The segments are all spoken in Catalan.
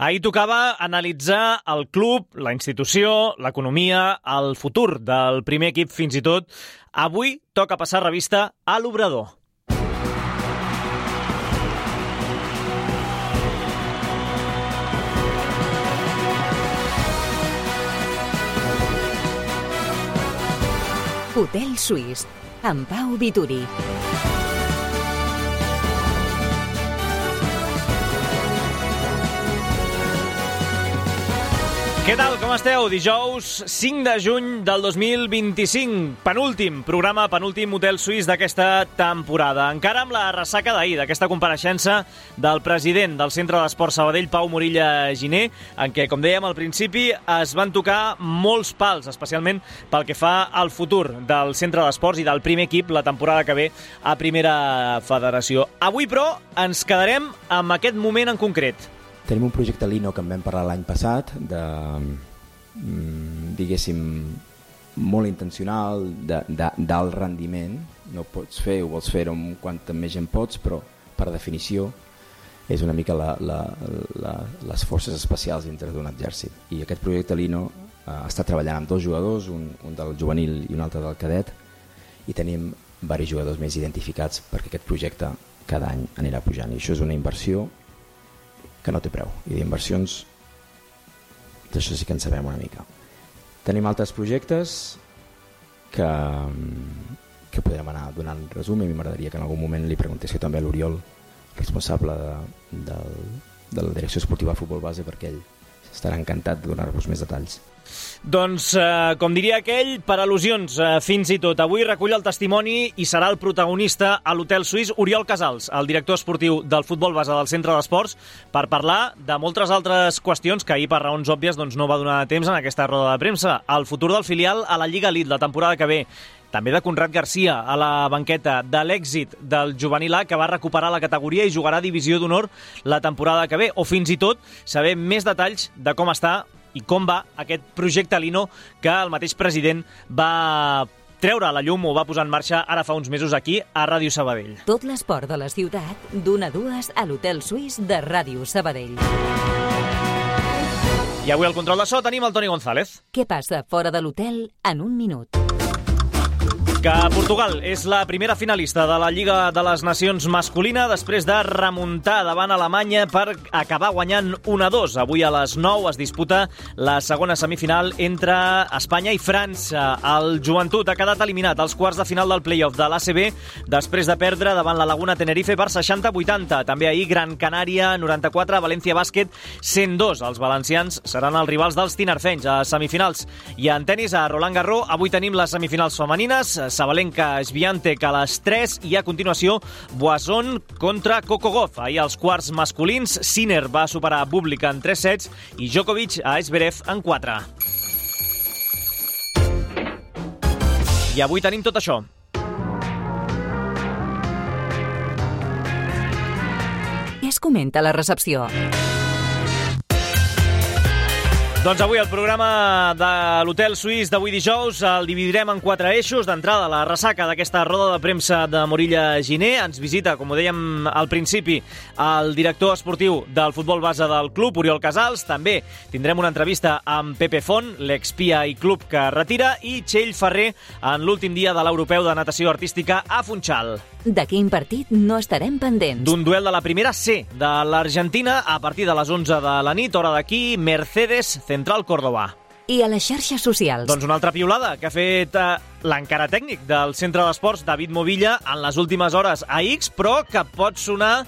Ahir tocava analitzar el club, la institució, l'economia, el futur del primer equip fins i tot. Avui toca passar revista a l'Obrador. Hotel Suís, amb Pau Vituri. Què tal, com esteu? Dijous 5 de juny del 2025, penúltim programa, penúltim Hotel Suís d'aquesta temporada. Encara amb la ressaca d'ahir, d'aquesta compareixença del president del Centre d'Esport Sabadell, Pau Morilla Giner, en què, com dèiem al principi, es van tocar molts pals, especialment pel que fa al futur del Centre d'Esports i del primer equip la temporada que ve a Primera Federació. Avui, però, ens quedarem amb aquest moment en concret. Tenim un projecte Lino que en vam parlar l'any passat, diguéssim, molt intencional, d'alt rendiment. No pots fer, ho vols fer amb quanta més gent pots, però per definició és una mica les forces especials dintre d'un exèrcit. I aquest projecte Lino està treballant amb dos jugadors, un del juvenil i un altre del cadet, i tenim diversos jugadors més identificats perquè aquest projecte cada any anirà pujant. I això és una inversió que no té preu, i d'inversions d'això sí que en sabem una mica. Tenim altres projectes que podrem anar donant resum, i a mi m'agradaria que en algun moment li preguntéssiu també a l'Oriol, responsable de la direcció esportiva de futbol base, perquè ell estarà encantat de donar-vos més detalls. Doncs, com diria aquell, per al·lusions fins i tot. Avui recull el testimoni i serà el protagonista a l'Hotel Suís Oriol Casals, el director esportiu del futbol base del Centre d'Esports, per parlar de moltes altres qüestions que ahir, per raons òbvies, no va donar temps en aquesta roda de premsa. El futur del filial a la Lliga Elite la temporada que ve. També de Conrad Garcia a la banqueta, de l'èxit del juvenil A, que va recuperar la categoria i jugarà a Divisió d'Honor la temporada que ve, o fins i tot saber més detalls de com està i com va aquest projecte Lino que el mateix president va treure a la llum o va posar en marxa ara fa uns mesos aquí a Ràdio Sabadell. Tot l'esport de la ciutat, d'1 a 2 a l'Hotel Suís de Ràdio Sabadell. I avui al control de so tenim el Toni González. Què passa fora de l'hotel en un minut? Que Portugal és la primera finalista de la Lliga de les Nacions masculina després de remuntar davant Alemanya per acabar guanyant 1-2. Avui a les 9 es disputa la segona semifinal entre Espanya i França. El Joventut ha quedat eliminat als quarts de final del play-off de l'ACB després de perdre davant la Laguna Tenerife per 60-80. També ahir Gran Canària 94, València Bàsquet 102. Els valencians seran els rivals dels tinerfenys a semifinals. I en tenis a Roland Garros avui tenim les semifinals femenines, Sabalenka Swiatek a les 3 i a continuació Boisson contra Coco Gauff. Ahir als quarts masculins Sinner va superar Bublik en 3 sets i Djokovic a Zverev en 4. I avui tenim tot això. Què es comenta a la recepció? Doncs avui el programa de l'Hotel Suís d'avui dijous el dividirem en 4 eixos. D'entrada, la ressaca d'aquesta roda de premsa de Morilla Giner. Ens visita, com ho dèiem al principi, el director esportiu del futbol base del club, Oriol Casals. També tindrem una entrevista amb Pepe Font, l'expia i club que retira, i Txell Ferrer en l'últim dia de l'Europeu de Natació Artística a Funchal. De quin partit no estarem pendents? D'un duel de la primera C de l'Argentina a partir de les 11 de la nit, hora d'aquí, Mercedes Central Córdoba. I a les xarxes socials? Doncs una altra piulada que ha fet l'encara tècnic del Centre d'Esports, David Movilla, en les últimes hores a X, però que pot sonar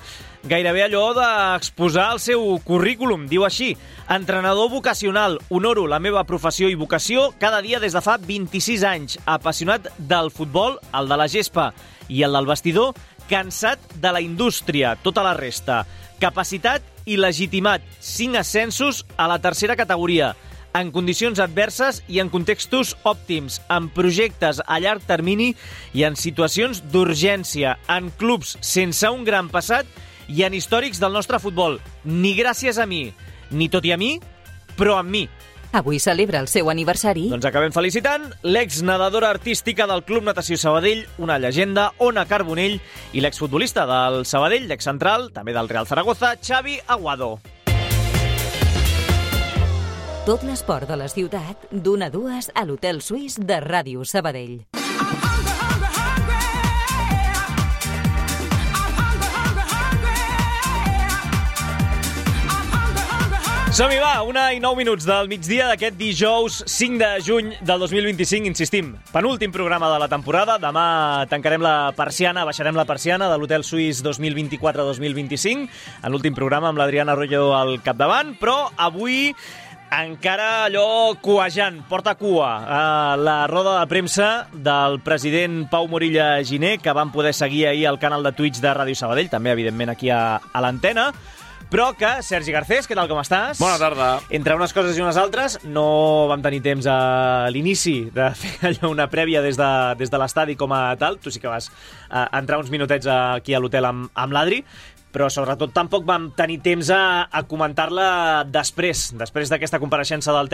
gairebé allò d'exposar el seu currículum. Diu així: entrenador vocacional, honoro la meva professió i vocació cada dia des de fa 26 anys, apassionat del futbol, el de la gespa i el del vestidor, cansat de la indústria, tota la resta, capacitat i legitimat, 5 ascensos a la tercera categoria, en condicions adverses i en contextos òptims, en projectes a llarg termini i en situacions d'urgència, en clubs sense un gran passat i en històrics del nostre futbol. Ni gràcies a mi, ni tot i a mi, però amb mi. Avui celebra el seu aniversari. Doncs acabem felicitant l'exnedadora artística del Club Natació Sabadell, una llegenda, Ona Carbonell, i l'exfutbolista del Sabadell, l'excentral, també del Real Zaragoza, Xavi Aguado. Tot l'esport de la ciutat, d'1 a 2 a l'Hotel Suís de Ràdio Sabadell. Som-hi, va, 1:09 del migdia d'aquest dijous 5 de juny del 2025, insistim. Penúltim programa de la temporada. Demà tancarem la persiana, baixarem la persiana de l'Hotel Suís 2024-2025, en l'últim programa amb l'Adriana Arroyo al capdavant, però avui encara allò cuejant, porta cua, la roda de premsa del president Pau Morilla Giner, que vam poder seguir ahir al canal de Twitch de Ràdio Sabadell, també, evidentment, aquí a l'antena, però que, Sergi Garcés, què tal, com estàs? Bona tarda. Entre unes coses i unes altres, no vam tenir temps a l'inici de fer allò una prèvia des de l'estadi com a tal. Tu sí que vas entrar uns minutets aquí a l'hotel amb l'Adri, però sobretot tampoc vam tenir temps a comentar-la després d'aquesta compareixença del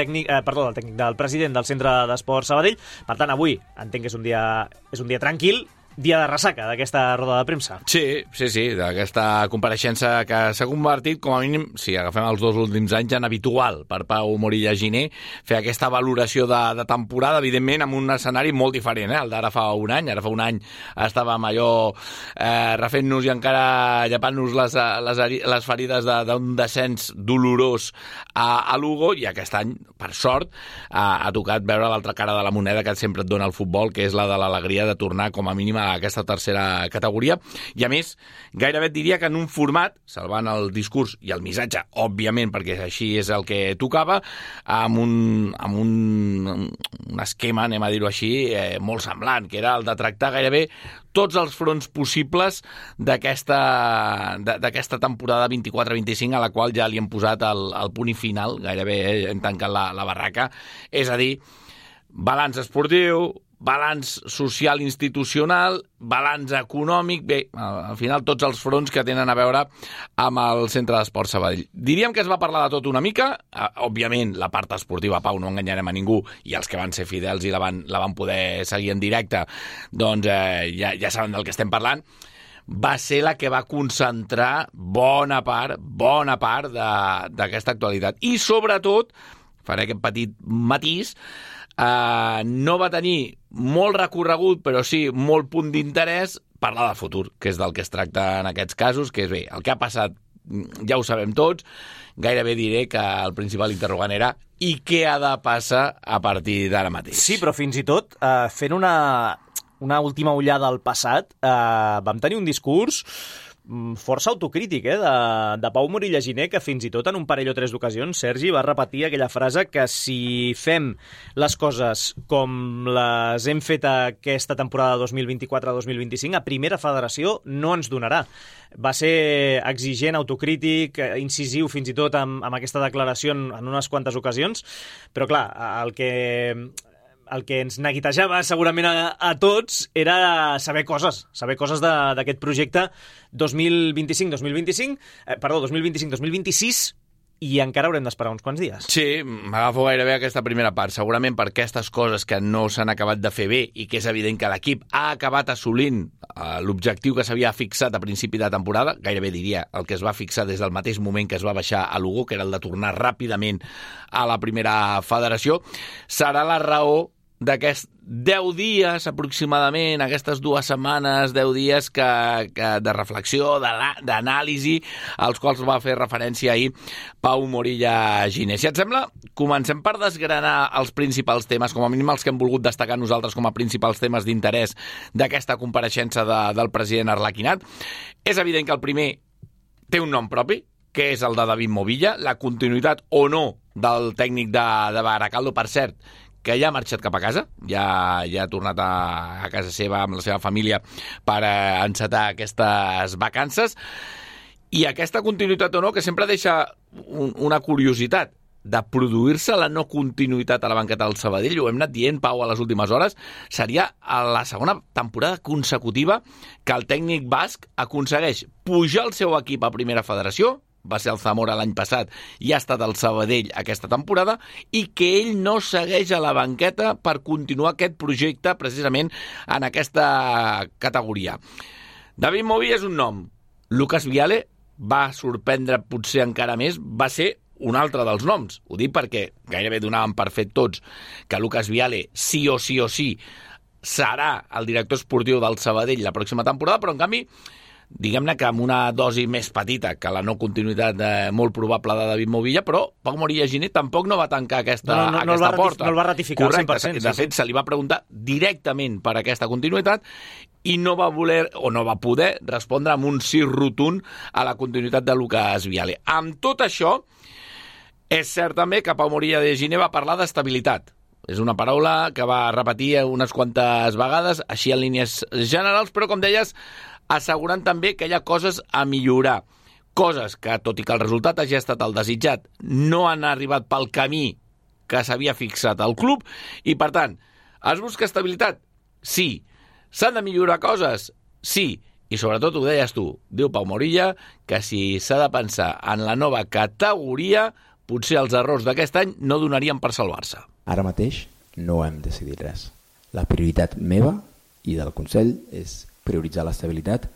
president del Centre d'Esport Sabadell. Per tant, avui entenc que és un dia tranquil, dia de ressaca d'aquesta roda de premsa. Sí, d'aquesta compareixença que s'ha convertit, com a mínim, si agafem els 2 últims anys, en habitual per Pau Morilla Giner, fer aquesta valoració de temporada, evidentment, amb un escenari molt diferent, el d'ara fa un any. Ara fa un any estàvem allò refent-nos i encara llepant-nos les ferides d'un descens dolorós a Lugo, i aquest any, per sort, ha tocat veure l'altra cara de la moneda que sempre et dona el futbol, que és la de l'alegria de tornar, com a mínim, a aquesta tercera categoria, i a més, gairebé et diria que en un format, salvant el discurs i el missatge, òbviament, perquè així és el que tocava, amb un esquema, anem a dir-ho així, molt semblant, que era el de tractar gairebé tots els fronts possibles d'aquesta temporada 24-25, a la qual ja li hem posat el punt i final, gairebé hem tancat la barraca, és a dir, balanç esportiu, balanç social institucional, balanç econòmic, bé, al final tots els fronts que tenen a veure amb el Centre d'Esport Sabadell. Diríem que es va parlar de tot una mica, òbviament la part esportiva, Pau, no enganyarem a ningú, i els que van ser fidels i la van poder seguir en directe, doncs ja saben del que estem parlant, va ser la que va concentrar bona part d'aquesta actualitat. I sobretot, faré aquest petit matís, no va tenir molt recorregut, però sí molt punt d'interès, parlar del futur, que és del que es tracta en aquests casos, que és bé, el que ha passat ja ho sabem tots, gairebé diré que el principal interrogant era i què ha de passar a partir d'ara mateix. Sí, però fins i tot, fent una última ullada al passat, vam tenir un discurs força autocrític, de Pau Morilla Giner, que fins i tot en un parell o 3 d'ocasions, Sergi, va repetir aquella frase que si fem les coses com les hem fet aquesta temporada 2024-2025, a primera federació no ens donarà. Va ser exigent, autocrític, incisiu fins i tot amb aquesta declaració en unes quantes ocasions, però clar, el que ens neguitejava segurament a tots era saber coses d'aquest projecte 2025-2026, i encara haurem d'esperar uns quants dies. Sí, m'agafo gairebé aquesta primera part, segurament per aquestes coses que no s'han acabat de fer bé i que és evident que l'equip ha acabat assolint l'objectiu que s'havia fixat a principi de temporada, gairebé diria el que es va fixar des del mateix moment que es va baixar a Lugo, que era el de tornar ràpidament a la primera federació, serà la raó d'aquests 10 dies aproximadament, aquestes 2 setmanes, 10 dies de reflexió, d'anàlisi, als quals va fer referència ahir Pau Morilla Giner. Si et sembla, comencem per desgranar els principals temes, com a mínim els que hem volgut destacar nosaltres com a principals temes d'interès d'aquesta compareixença del president Arlequinat. És evident que el primer té un nom propi, que és el de David Movilla, la continuïtat o no del tècnic de Baracaldo, per cert, que ja ha marxat cap a casa, ja ha tornat a casa seva amb la seva família per encetar aquestes vacances, i aquesta continuïtat o no, que sempre deixa una curiositat de produir-se la no continuïtat a la banqueta del Sabadell, ho hem anat dient, Pau, a les últimes hores, seria la segona temporada consecutiva que el tècnic basc aconsegueix pujar el seu equip a primera federació, va ser el Zamora l'any passat i ha estat el Sabadell aquesta temporada, i que ell no segueix a la banqueta per continuar aquest projecte precisament en aquesta categoria. David Movilla és un nom. Lucas Viale va sorprendre potser encara més, va ser un altre dels noms. Ho dic perquè gairebé donàvem per fet tots que Lucas Viale sí o sí serà el director esportiu del Sabadell la pròxima temporada, però en canvi diguem-ne que amb una dosi més petita que la no continuïtat molt probable de David Movilla, però Pau Morilla Giner tampoc no va tancar aquesta porta. No el va ratificar. Correcte, 100%. De fet, se li va preguntar directament per aquesta continuïtat i no va voler o no va poder respondre amb un sí rotund a la continuïtat de Lucas Viale. Amb tot això, és cert també que Pau Morilla de Giner va parlar d'estabilitat. És una paraula que va repetir unes quantes vegades, així en línies generals, però, com deies, assegurant també que hi ha coses a millorar. Coses que, tot i que el resultat hagi estat el desitjat, no han arribat pel camí que s'havia fixat al club i, per tant, es busca estabilitat? Sí. S'han de millorar coses? Sí. I, sobretot, ho deies tu, diu Pau Morilla, que si s'ha de pensar en la nova categoria, potser els errors d'aquest any no donarien per salvar-se. Ara mateix no hem decidit res. La prioritat meva i del Consell és prioritzar l'estabilitat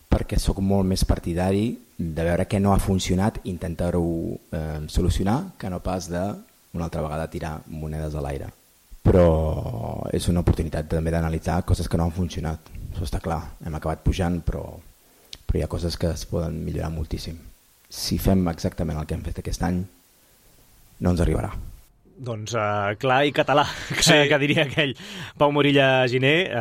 perquè sóc molt més partidari de veure què no ha funcionat, intentar-ho solucionar, que no pas de una altra vegada tirar monedes a l'aire. Però és una oportunitat també d'analitzar coses que no han funcionat. Això està clar, hem acabat pujant, però hi ha coses que es poden millorar moltíssim. Si fem exactament el que hem fet aquest any, no ens arribarà. Doncs clar i català, que diria aquell Pau Morilla Giner,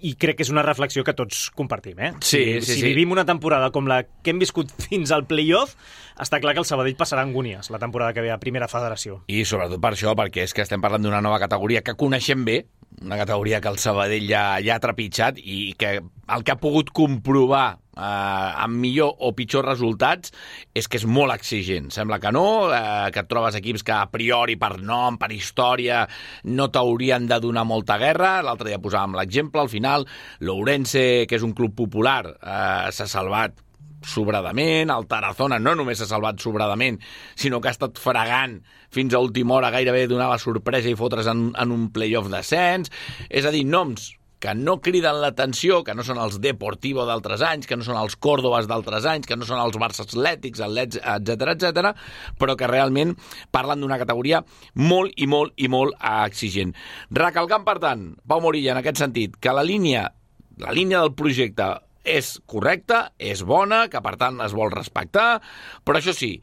i crec que és una reflexió que tots compartim. Si vivim una temporada com la que hem viscut fins al play-off, està clar que el Sabadell passarà angúnies la temporada que ve a Primera Federació. I sobretot per això, perquè és que estem parlant d'una nova categoria que coneixem bé, una categoria que el Sabadell ja ha trepitjat i que el que ha pogut comprovar amb millor o pitjor resultats és que és molt exigent. Sembla que no, que et trobes equips que a priori per nom, per història, no t'haurien de donar molta guerra. L'altre dia posàvem l'exemple, al final l'Ourense, que és un club popular, s'ha salvat sobradament, el Tarazona no només s'ha salvat sobradament, sinó que ha estat fregant fins a última hora, gairebé donar la sorpresa i fotre's en un play-off descens. És a dir, noms que no criden l'atenció, que no són els Deportivo d'altres anys, que no són els Còrdobas d'altres anys, que no són els Barça Atlètics, etc., però que realment parlen d'una categoria molt i molt exigent. Recalcant, per tant, Pau Morilla, en aquest sentit, que la línia del projecte és correcta, és bona, que per tant es vol respectar, però això sí,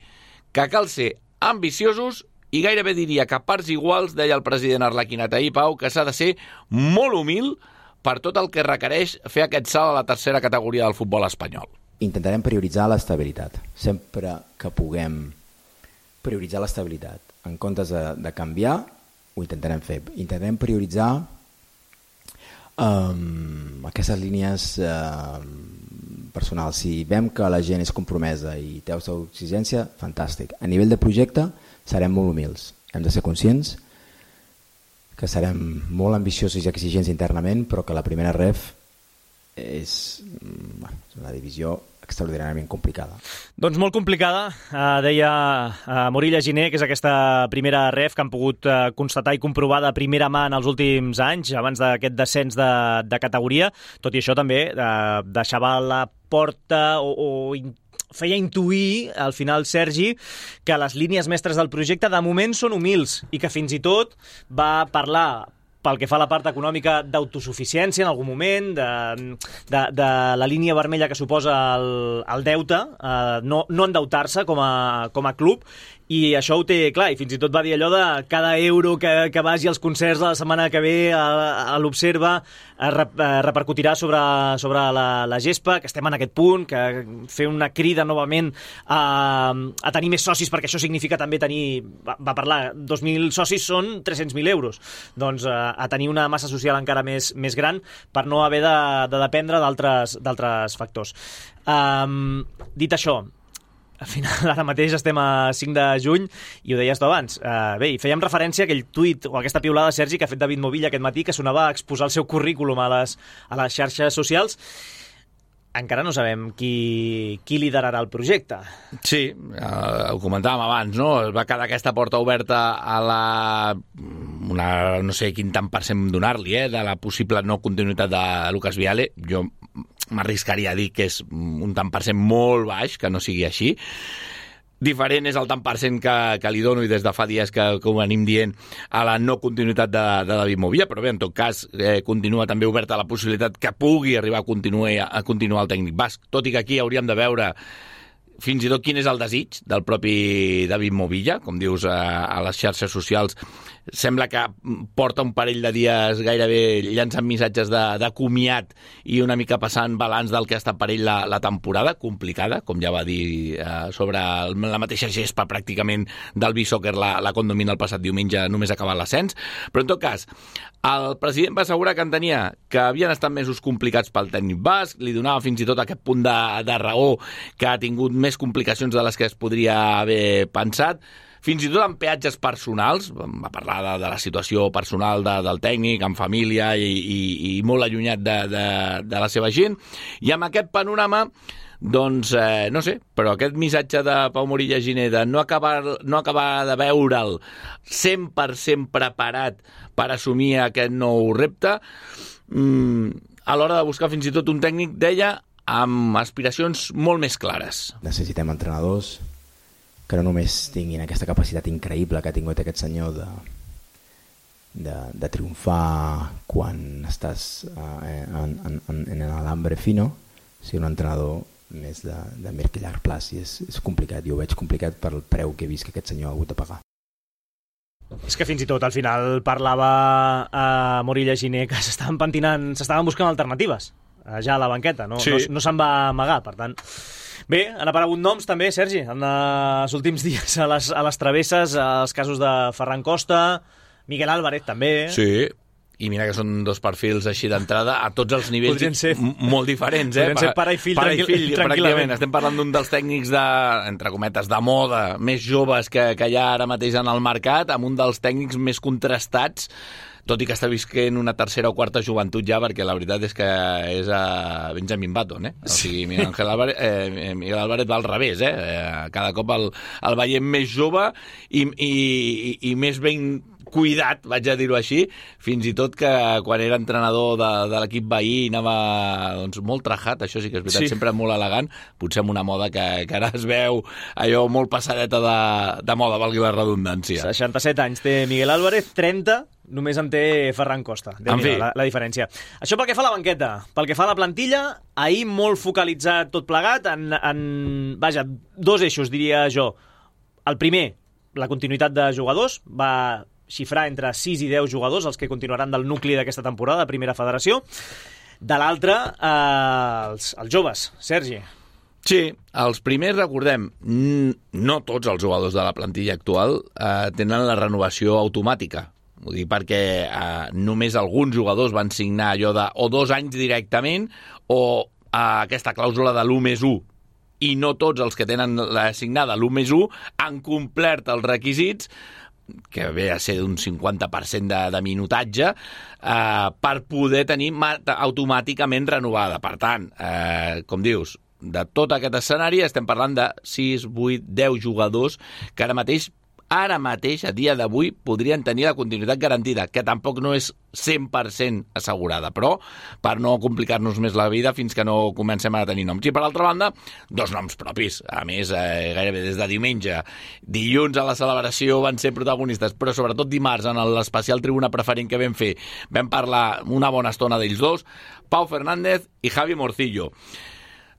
que cal ser ambiciosos i gairebé diria que a parts iguals, deia el president Arlequinat ahir, Pau, que s'ha de ser molt humil per tot el que requereix fer aquest salt a la tercera categoria del futbol espanyol. Intentarem prioritzar l'estabilitat. Sempre que puguem prioritzar l'estabilitat en comptes de canviar, ho intentarem fer. Intentarem prioritzar aquestes línies personals. Si veiem que la gent és compromesa i té la seva exigència, fantàstic. A nivell de projecte serem molt humils. Hem de ser conscients que serem molt ambiciosos i exigents internament, però que la primera ref és una divisió extraordinàriament complicada. Doncs molt complicada, deia Morilla Giner, que és aquesta primera ref que han pogut constatar i comprovar de primera mà en els últims anys, abans d'aquest descens de categoria. Tot i això també deixava la porta o feia intuir, al final, Sergi, que les línies mestres del projecte de moment són humils i que fins i tot va parlar, pel que fa a la part econòmica, d'autosuficiència en algun moment, de la línia vermella que suposa el deute, no endeutar-se com a club, i això ho té clar, i fins i tot va dir allò de cada euro que vagi als concerts de la setmana que ve a l'Observa repercutirà sobre la gespa, que estem en aquest punt, que fer una crida novament a tenir més socis, perquè això significa també tenir, va parlar, 2.000 socis són 300.000 euros, doncs a tenir una massa social encara més gran per no haver de dependre d'altres factors. Dit això, al final, ara mateix estem a 5 de juny i ho deies tu abans. Bé, i fèiem referència a aquell tuit o a aquesta piulada, Sergi, que ha fet David Movilla aquest matí, que sonava a exposar el seu currículum a les xarxes socials. Encara no sabem qui liderarà el projecte. Sí, ho comentàvem abans, no? Es va quedar aquesta porta oberta a no sé quin tant per cent donar-li, de la possible no continuïtat de Lucas Viale. Jo m'arriscaria a dir que és un tant per cent molt baix, que no sigui així. diferent és el tant per cent que li dono i des de fa dies que ho venim dient a la no continuïtat de David Movilla, però bé, en tot cas continua també oberta la possibilitat que pugui arribar a continuar el tècnic basc, tot i que aquí hauríem de veure fins i tot quin és el desig del propi David Movilla, com dius a les xarxes socials. Sembla que porta un parell de dies gairebé llançant missatges de comiat i una mica passant balanç del que ha estat per ell la temporada, complicada, com ja va dir sobre la mateixa gespa pràcticament del B-Soccer la condomina el passat diumenge, només ha acabat l'ascens. Però en tot cas, el president va assegurar que entenia que havien estat mesos complicats pel tècnic basc, li donava fins i tot aquest punt de raó que ha tingut més complicacions de les que es podria haver pensat, fins i tot amb peatges personals, va parlar de la situació personal del tècnic, amb família i molt allunyat de la seva gent, i amb aquest panorama, doncs, no sé, però aquest missatge de Pau Morilla Giner de no acabar de veure'l 100% preparat per assumir aquest nou repte, a l'hora de buscar fins i tot un tècnic, deia, amb aspiracions molt més clares. Necessitem entrenadors que no només tinguin aquesta capacitat increïble que ha tingut aquest senyor de triomfar quan estàs en l'hambre fino, sinó un entrenador més de mirc i llarg plaç, i és complicat, jo ho veig complicat pel preu que he vist que aquest senyor ha hagut de pagar. És que fins i tot al final parlava a Morilla Giner que s'estaven pentinant, s'estaven buscant alternatives ja a la banqueta, no se'n va amagar, per tant. Bé, han aparegut noms també, Sergi, en els últims dies a les travesses, els casos de Ferran Costa, Miguel Álvarez també. Sí, i mira que són dos perfils així d'entrada a tots els nivells molt diferents. Podrien ser pare i fill tranquil·lament. Estem parlant d'un dels tècnics entre cometes, de moda, més joves que hi ha ara mateix en el mercat, amb un dels tècnics més contrastats, tot i que està visquent una tercera o quarta joventut ja, perquè la veritat és que és a Benjamin Button, O sigui, Miguel Álvarez va al revés, Cada cop el veiem més jove i més ben cuidat, vaig a dir-ho així, fins i tot que quan era entrenador de l'equip veí anava molt trajat, això sí que és veritat, sempre molt elegant, potser amb una moda que ara es veu allò molt passadeta de moda, valgui la redundància. 67 anys té Miguel Álvarez, 30 només en té Ferran Costa. En fi, la diferència. Això pel que fa a la banqueta. Pel que fa a la plantilla, ahir molt focalitzat tot plegat en dos eixos, diria jo. El primer, la continuïtat de jugadors, va xifrar entre 6 i 10 jugadors, els que continuaran del nucli d'aquesta temporada de Primera Federació. De l'altre, els joves. Sergi. Sí, els primers, recordem, no tots els jugadors de la plantilla actual tenen la renovació automàtica. Ho dic perquè només alguns jugadors van signar allò de o 2 anys directament o aquesta clàusula de l'1+1. I no tots els que tenen assignada l'1+1 han complert els requisits, que ve a ser d'un 50% de minutatge, per poder tenir automàticament renovada. Per tant, com dius, de tot aquest escenari estem parlant de 6, 8, 10 jugadors que ara mateix, a dia d'avui, podrien tenir la continuïtat garantida, que tampoc no és 100% assegurada, però per no complicar-nos més la vida fins que no comencem a tenir noms. I per altra banda, 2 noms propis. A més, gairebé des de diumenge. Dilluns a la celebració van ser protagonistes, però sobretot dimarts, en l'especial tribuna preferent que vam fer, vam parlar una bona estona d'ells dos, Pau Fernández i Javi Morcillo.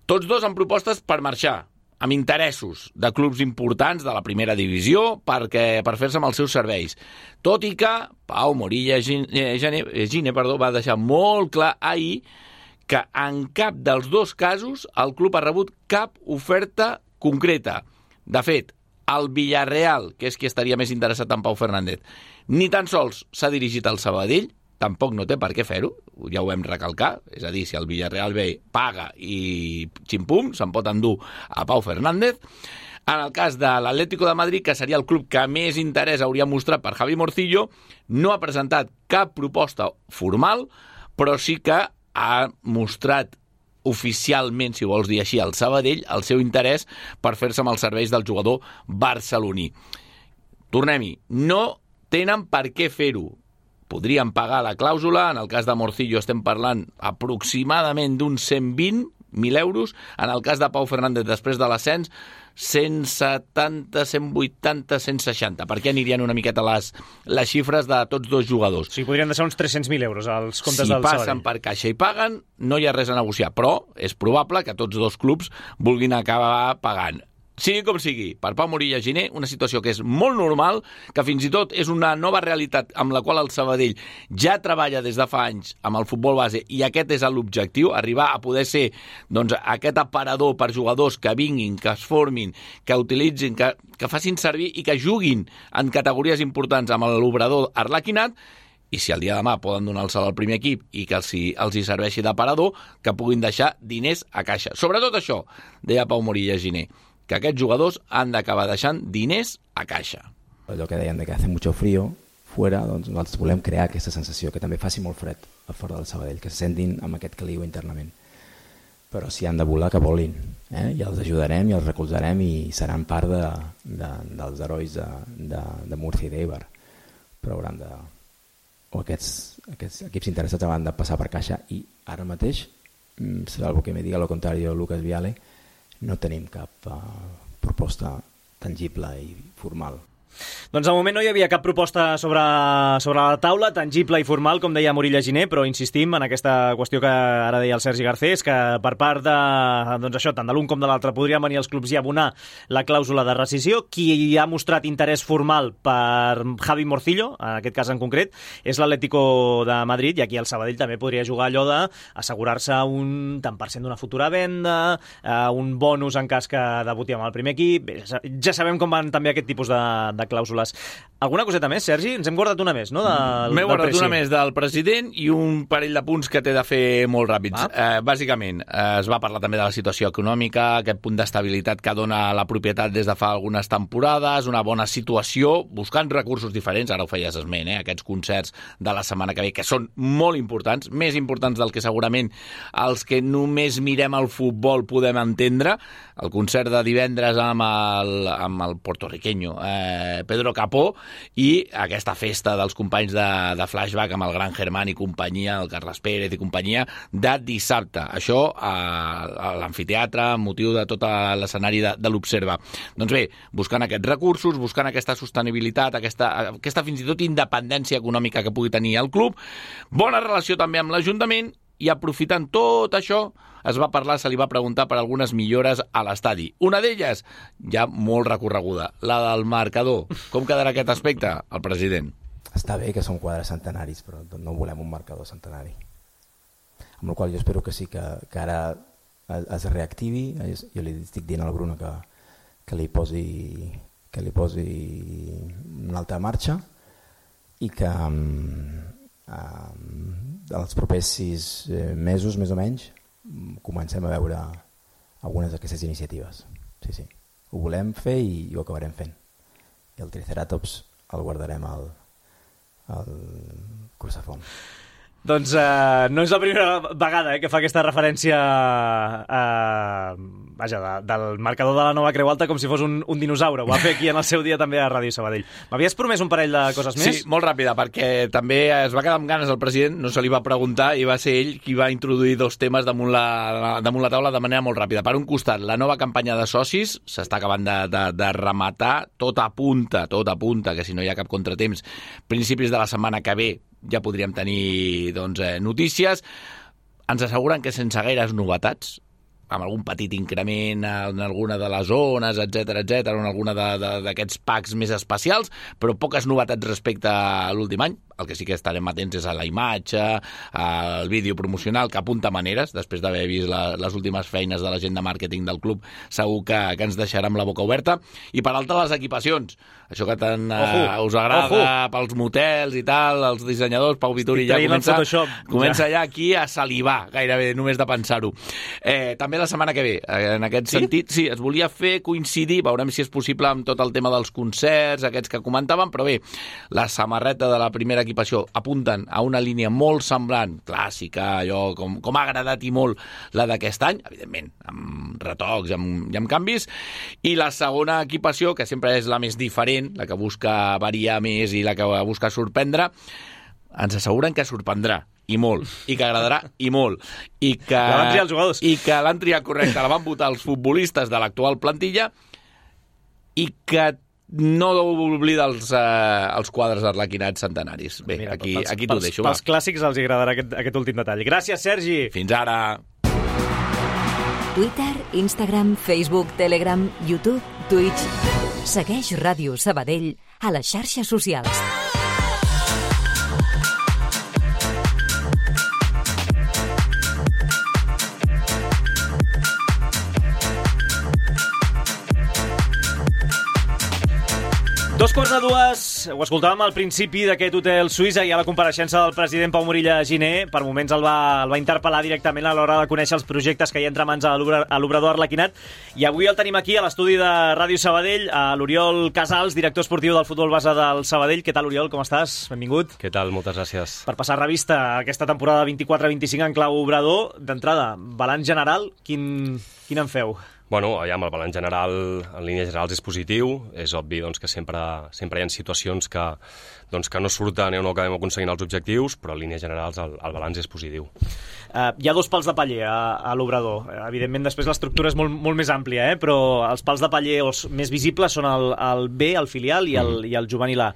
Tots dos amb propostes per marxar, amb interessos de clubs importants de la primera divisió per fer-se amb els seus serveis. Tot i que Pau Morilla Giner va deixar molt clar ahir que en cap dels dos casos el club ha rebut cap oferta concreta. De fet, el Villarreal, que és qui estaria més interessat en Pau Fernández, ni tan sols s'ha dirigit al Sabadell, tampoc no té per què fer-ho, ja ho vam recalcar, és a dir, si el Villarreal ve, paga i ximpum, se'n pot endur a Pau Fernández. En el cas de l'Atlético de Madrid, que seria el club que més interès hauria mostrat per Javi Morcillo, no ha presentat cap proposta formal, però sí que ha mostrat oficialment, si vols dir així, al Sabadell, el seu interès per fer-se amb els serveis del jugador barceloní. Tornem-hi, no tenen per què fer-ho. Podrien pagar la clàusula, en el cas de Morcillo estem parlant aproximadament d'uns 120, 100.000 euros. En el cas de Pau Fernández, després de l'ascens, 170, 180, 160. Per què anirien una miqueta les xifres de tots dos jugadors? O sigui, podrien deixar uns 300.000 euros als comptes del Sabadell. Si passen per caixa i paguen, no hi ha res a negociar, però és probable que tots dos clubs vulguin acabar pagant. Sigui com sigui, per Pau Morilla Giner, una situació que és molt normal, que fins i tot és una nova realitat amb la qual el Sabadell ja treballa des de fa anys amb el futbol base, i aquest és l'objectiu, arribar a poder ser aquest aparador per jugadors que vinguin, que es formin, que utilitzin, que facin servir i que juguin en categories importants amb l'obrador arlequinat, i si el dia de demà poden donar el salt al primer equip i que els hi serveixi d'aparador, que puguin deixar diners a caixa. Sobretot això, deia Pau Morilla Giner, que aquests jugadors han d'acabar deixant diners a caixa. Allò que deien de que hace mucho frío fuera, doncs nosaltres volem crear aquesta sensació, que també faci molt fred a fora del Sabadell, que se sentin amb aquest caliu internament. Però si han de volar, que volin. I els ajudarem i els recolzarem i seran part dels herois de Múrcia i d'Eibar. Però hauran de... o aquests equips interessats hauran de passar per caixa, i ara mateix, salvo que me diga lo contrario Lucas Viale, no tenim cap proposta tangible i formal. Doncs al moment no hi havia cap proposta sobre la taula, tangible i formal, com deia Morilla Giner, però insistim en aquesta qüestió que ara deia el Sergi Garcés, que per part de, doncs això, tant de l'un com de l'altre, podrien venir els clubs i abonar la clàusula de rescissió. Qui ha mostrat interès formal per Javi Morcillo, en aquest cas en concret, és l'Atlético de Madrid, i aquí el Sabadell també podria jugar allò d'assegurar-se un tant per cent d'una futura venda, un bonus en cas que debuti amb el primer equip. Bé, ja sabem com van també aquest tipus de clàusules. Alguna coseta més, Sergi? Ens hem guardat una més, no? M'he guardat una més del president i un parell de punts que té de fer molt ràpids. Bàsicament, es va parlar també de la situació econòmica, aquest punt d'estabilitat que dona la propietat des de fa algunes temporades, una bona situació, buscant recursos diferents, ara ho feies esment, aquests concerts de la setmana que ve, que són molt importants, més importants del que segurament els que només mirem el futbol podem entendre. El concert de divendres amb el portorriqueño Pedro Capó, i aquesta festa dels companys de Flashback amb el Gran Germán i companyia, el Carles Pérez i companyia, de dissabte. Això a l'amfiteatre, amb motiu de tot l'escenari de l'Observa. Doncs bé, buscant aquests recursos, buscant aquesta sostenibilitat, aquesta fins i tot independència econòmica que pugui tenir el club, bona relació també amb l'Ajuntament, i aprofitant tot això, es va parlar, se li va preguntar per algunes millores a l'estadi. Una d'elles, ja molt recorreguda, la del marcador. Com quedarà aquest aspecte? El president. Està bé que són quadres centenaris, però no volem un marcador centenari. Amb la qual jo espero que sí, que ara es reactivi. Jo li estic dient al Bruno que li posi una altra marxa, i que els propers 6 mesos, més o menys, comencem a veure algunes d'aquestes iniciatives. Sí. Ho volem fer i ho acabarem fent. I el Triceratops el guardarem al Cursafont. Doncs no és la primera vegada que fa aquesta referència del marcador de la nova Creu Alta com si fos un dinosaure. Ho va fer aquí en el seu dia també a Ràdio Sabadell. M'havies promès un parell de coses més? Sí, molt ràpida, perquè també es va quedar amb ganes el president, no se li va preguntar, i va ser ell qui va introduir 2 temes damunt la taula de manera molt ràpida. Per un costat, la nova campanya de socis s'està acabant de rematar, tot apunta que si no hi ha cap contratemps, principis de la setmana que ve ja podríem tenir notícies. Ens asseguren que sense gaires novetats, amb algun petit increment en alguna de les zones, etc, en alguna d'aquests packs més especials, però poques novetats respecte a l'últim any. El que sí que estarem atents és a la imatge, al vídeo promocional, que apunta maneres, després d'haver vist les últimes feines de la gent de màrqueting del club, segur que ens deixarà amb la boca oberta. I per altra, les equipacions. Això que tant us agrada pels motels i tal, els dissenyadors, Pau Vituri ja comença ja aquí a salivar, gairebé, només de pensar-ho. També la setmana que ve, en aquest sentit, sí, es volia fer coincidir, veurem si és possible amb tot el tema dels concerts, aquests que comentàvem, però bé, la samarreta de la primera equipació apunten a una línia molt semblant, clàssica, allò com ha agradat i molt la d'aquest any, evidentment, amb retocs i amb canvis, i la segona equipació, que sempre és la més diferent, la que busca variar més i la que busca sorprendre, ens asseguren que sorprendrà, i molt, i que agradarà, i molt, i que la van triar els jugadors. I que l'han triat correcte, la van votar els futbolistes de l'actual plantilla, i que no oblida els quadres arlequinats centenaris. Bé, mira, aquí t'ho deixo. Pels clàssics els agradarà aquest últim detall. Gràcies, Sergi. Fins ara. Twitter, Instagram, Facebook, Telegram, YouTube, Twitch. Segueix Ràdio Sabadell a les xarxes socials. Dos quarts de dues, ho escoltàvem al principi d'aquest hotel suís, i a la compareixença del president Pau Morilla Giner, per moments el va interpel·lar directament a l'hora de conèixer els projectes que hi ha entre mans a l'obrador arlequinat, i avui el tenim aquí a l'estudi de Ràdio Sabadell, a l'Oriol Casals, director esportiu del futbol base del Sabadell. Què tal, Oriol, com estàs? Benvingut. Què tal? Moltes gràcies. Per passar revista a aquesta temporada 24-25 en clau obrador, d'entrada, balanç general, quin en feu? Bueno, el balanç general, en línies generals, és positiu. És obvi doncs, que sempre hi ha situacions que no surten o no acabem aconseguint els objectius, però en línies generals el balanç és positiu. Hi ha dos pals de paller a l'obrador. Evidentment, després l'estructura és molt més àmplia, però els pals de paller més visibles són el B, el filial, i el juvenil A.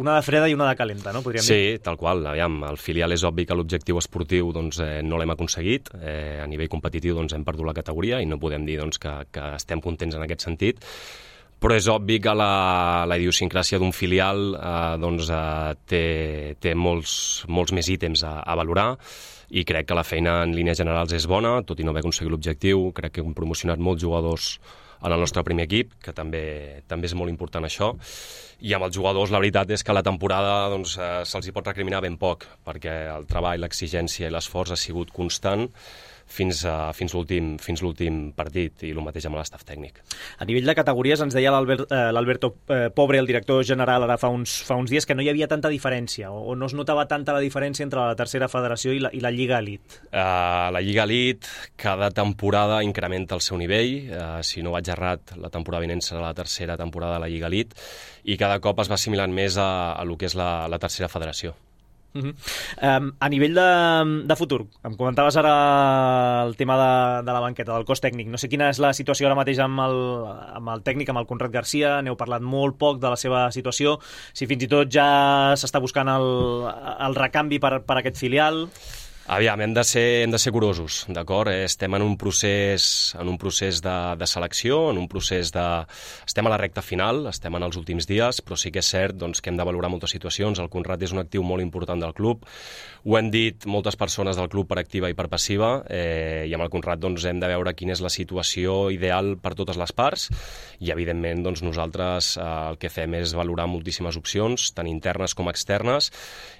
Una de freda i una de calenta, no? Podríem dir. Sí, tal qual. El filial és obvi que l'objectiu esportiu no l'hem aconseguit. A nivell competitiu hem perdut la categoria i no podem dir que estem contents en aquest sentit. Però és obvi que la idiosincràsia d'un filial té molts més ítems a valorar, i crec que la feina en línies generals és bona, tot i no haver aconseguit l'objectiu. Crec que hem promocionat molts jugadors en el nostre primer equip, que també és molt important això. I amb els jugadors la veritat és que la temporada se'ls hi pot recriminar ben poc, perquè el treball, l'exigència i l'esforç ha sigut constant fins l'últim partit, i el mateix amb l'estaf tècnic. A nivell de categories ens deia l'Alberto Pobre, el director general, ara fa uns dies, que no hi havia tanta diferència, o no es notava tanta la diferència entre la tercera federació i la Lliga Elite. La Lliga Elite cada temporada incrementa el seu nivell. Si no vaig errat, la temporada vinent serà la tercera temporada de la Lliga Elite, i cada cop es va assimilant més a lo que és la tercera federació. A nivell de futur, em comentaves ara el tema de la banqueta, del cos tècnic. No sé quina és la situació ara mateix amb el tècnic, amb el Conrad Garcia. N'heu parlat molt poc de la seva situació, si fins i tot ja s'està buscant el recanvi per aquest filial. Aviam, hem de ser curosos, d'acord? Estem en un procés de selecció, estem a la recta final, estem en els últims dies, però sí que és cert que hem de valorar moltes situacions. El Conrad és un actiu molt important del club, ho hem dit moltes persones del club per activa i per passiva, i amb el Conrad hem de veure quina és la situació ideal per totes les parts, i evidentment nosaltres el que fem és valorar moltíssimes opcions, tant internes com externes,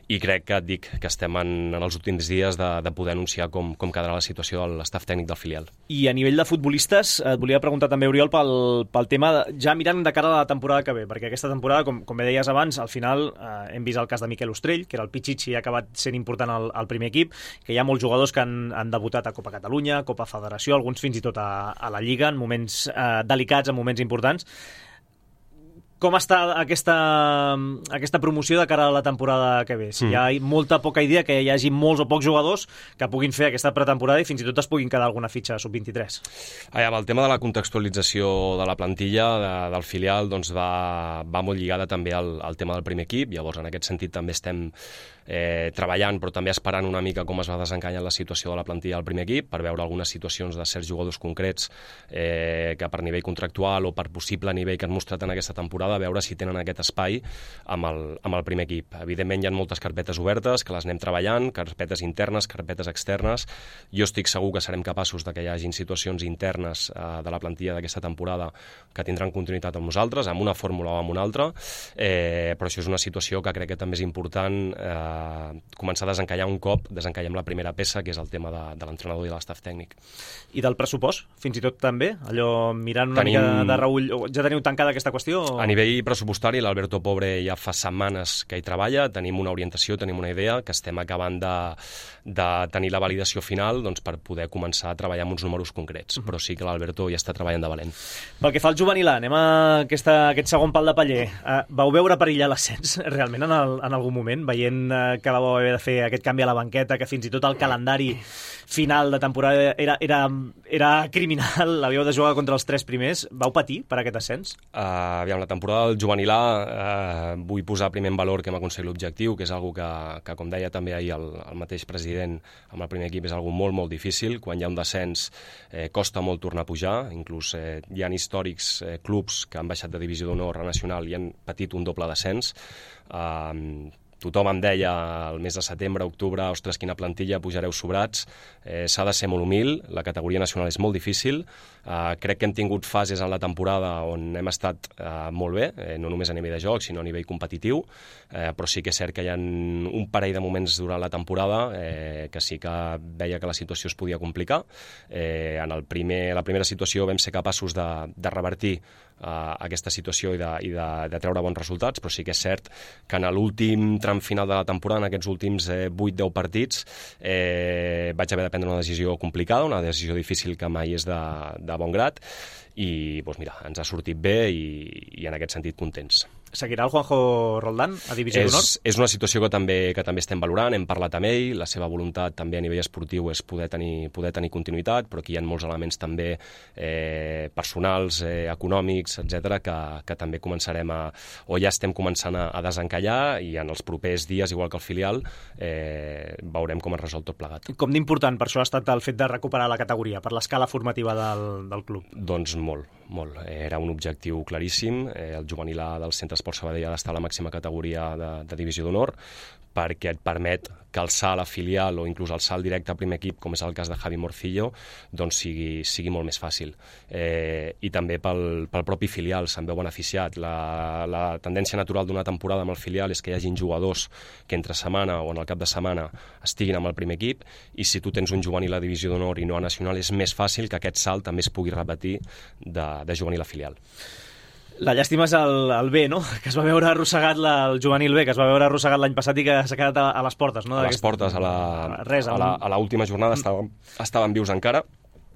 i crec que et dic que estem en els últims dies de poder anunciar com quedarà la situació de l'estaf tècnic del filial. I a nivell de futbolistes, et volia preguntar també, Oriol, pel tema, ja mirant de cara a la temporada que ve, perquè aquesta temporada, com bé deies abans, al final hem vist el cas de Miquel Ostrell, que era el Pichichi i ha acabat sent important al primer equip, que hi ha molts jugadors que han debutat a Copa Catalunya, Copa Federació, alguns fins i tot a la Lliga, en moments delicats, en moments importants. Com està aquesta promoció de cara a la temporada que ve? Si hi ha molta poca idea que hi hagi molts o pocs jugadors que puguin fer aquesta pretemporada i fins i tot es puguin quedar alguna fitxa sub-23. El tema de la contextualització de la plantilla del filial va molt lligada també al tema del primer equip. Llavors, en aquest sentit, també estem treballant, però també esperant una mica com es va desencallant la situació de la plantilla del primer equip, per veure algunes situacions de certs jugadors concrets que per nivell contractual o per possible nivell que han mostrat en aquesta temporada, a veure si tenen aquest espai amb el primer equip. Evidentment hi ha moltes carpetes obertes que les anem treballant, carpetes internes, carpetes externes. Jo estic segur que serem capaços de que hi hagin situacions internes de la plantilla d'aquesta temporada que tindran continuïtat amb nosaltres, amb una fórmula o amb una altra, però això és una situació que crec que també és important començar a desencallar un cop desencallem la primera peça, que és el tema de l'entrenador i de l'estaf tècnic. I del pressupost, fins i tot també? Allò, mirant una mica de reull, ja teniu tancada aquesta qüestió? A nivell nivell pressupostari, l'Alberto Pobre ja fa setmanes que hi treballa, tenim una orientació, tenim una idea, que estem acabant de tenir la validació final doncs, per poder començar a treballar amb uns números concrets, però sí que l'Alberto ja està treballant de valent. Pel que fa al juvenil A, anem a aquest segon pal de paller. Vau veure perillar l'ascens realment en algun moment, veient que vau haver de fer aquest canvi a la banqueta, que fins i tot el calendari final de temporada era criminal, l'havíeu de jugar contra els 3 primers. Vau patir per aquest ascens? Aviam, la temporada del juvenil A, vull posar primer en valor que hem aconseguit l'objectiu, que és algo que com deia també ahir el mateix president amb el primer equip, és algo molt, molt difícil. Quan hi ha un descens costa molt tornar a pujar, inclús hi ha històrics clubs que han baixat de divisió d'honor a nacional i han patit un doble descens. Tothom em deia el mes de setembre, octubre, ostres, quina plantilla, pujareu sobrats. S'ha de ser molt humil, la categoria nacional és molt difícil. Crec que hem tingut fases en la temporada on hem estat molt bé, no només a nivell de joc, sinó a nivell competitiu, però sí que és cert que hi ha un parell de moments durant la temporada que sí que veia que la situació es podia complicar. En la primera situació vam ser capaços de revertir aquesta situació i de treure bons resultats, però sí que és cert que en l'últim tram final de la temporada, en aquests últims 8-10 partits, vaig haver de prendre una decisió complicada, una decisió difícil que mai és de bon grat, i doncs mira, ens ha sortit bé i en aquest sentit contents. Seguirà el Juanjo Roldán a divisió d'honor? És una situació que també estem valorant, hem parlat amb ell, la seva voluntat també a nivell esportiu és poder tenir continuïtat, però aquí hi ha molts elements també personals, econòmics, etc que també començarem o ja estem començant a desencallar, i en els propers dies, igual que el filial, veurem com es resol tot plegat. Com d'important per això ha estat el fet de recuperar la categoria, per l'escala formativa del club? Doncs molt. Era un objectiu claríssim. El juvenil A del Centre Esport Sabadell ha d'estar a la màxima categoria de divisió d'honor, perquè et permet que el salt a filial o inclús el salt directe a primer equip, com és el cas de Javi Morcillo, doncs sigui molt més fàcil. I també pel propi filial se'n veu beneficiat. La tendència natural d'una temporada amb el filial és que hi hagin jugadors que entre setmana o en el cap de setmana estiguin amb el primer equip, i si tu tens un juvenil a divisió d'honor i no a nacional, és més fàcil que aquest salt també es pugui repetir de juvenil a filial. La llàstima és el B, no? Que es va veure arrossegat el juvenil B, que es va veure arrossegat l'any passat i que s'ha quedat a les portes, no? A les portes, a l'última jornada estaven vius encara.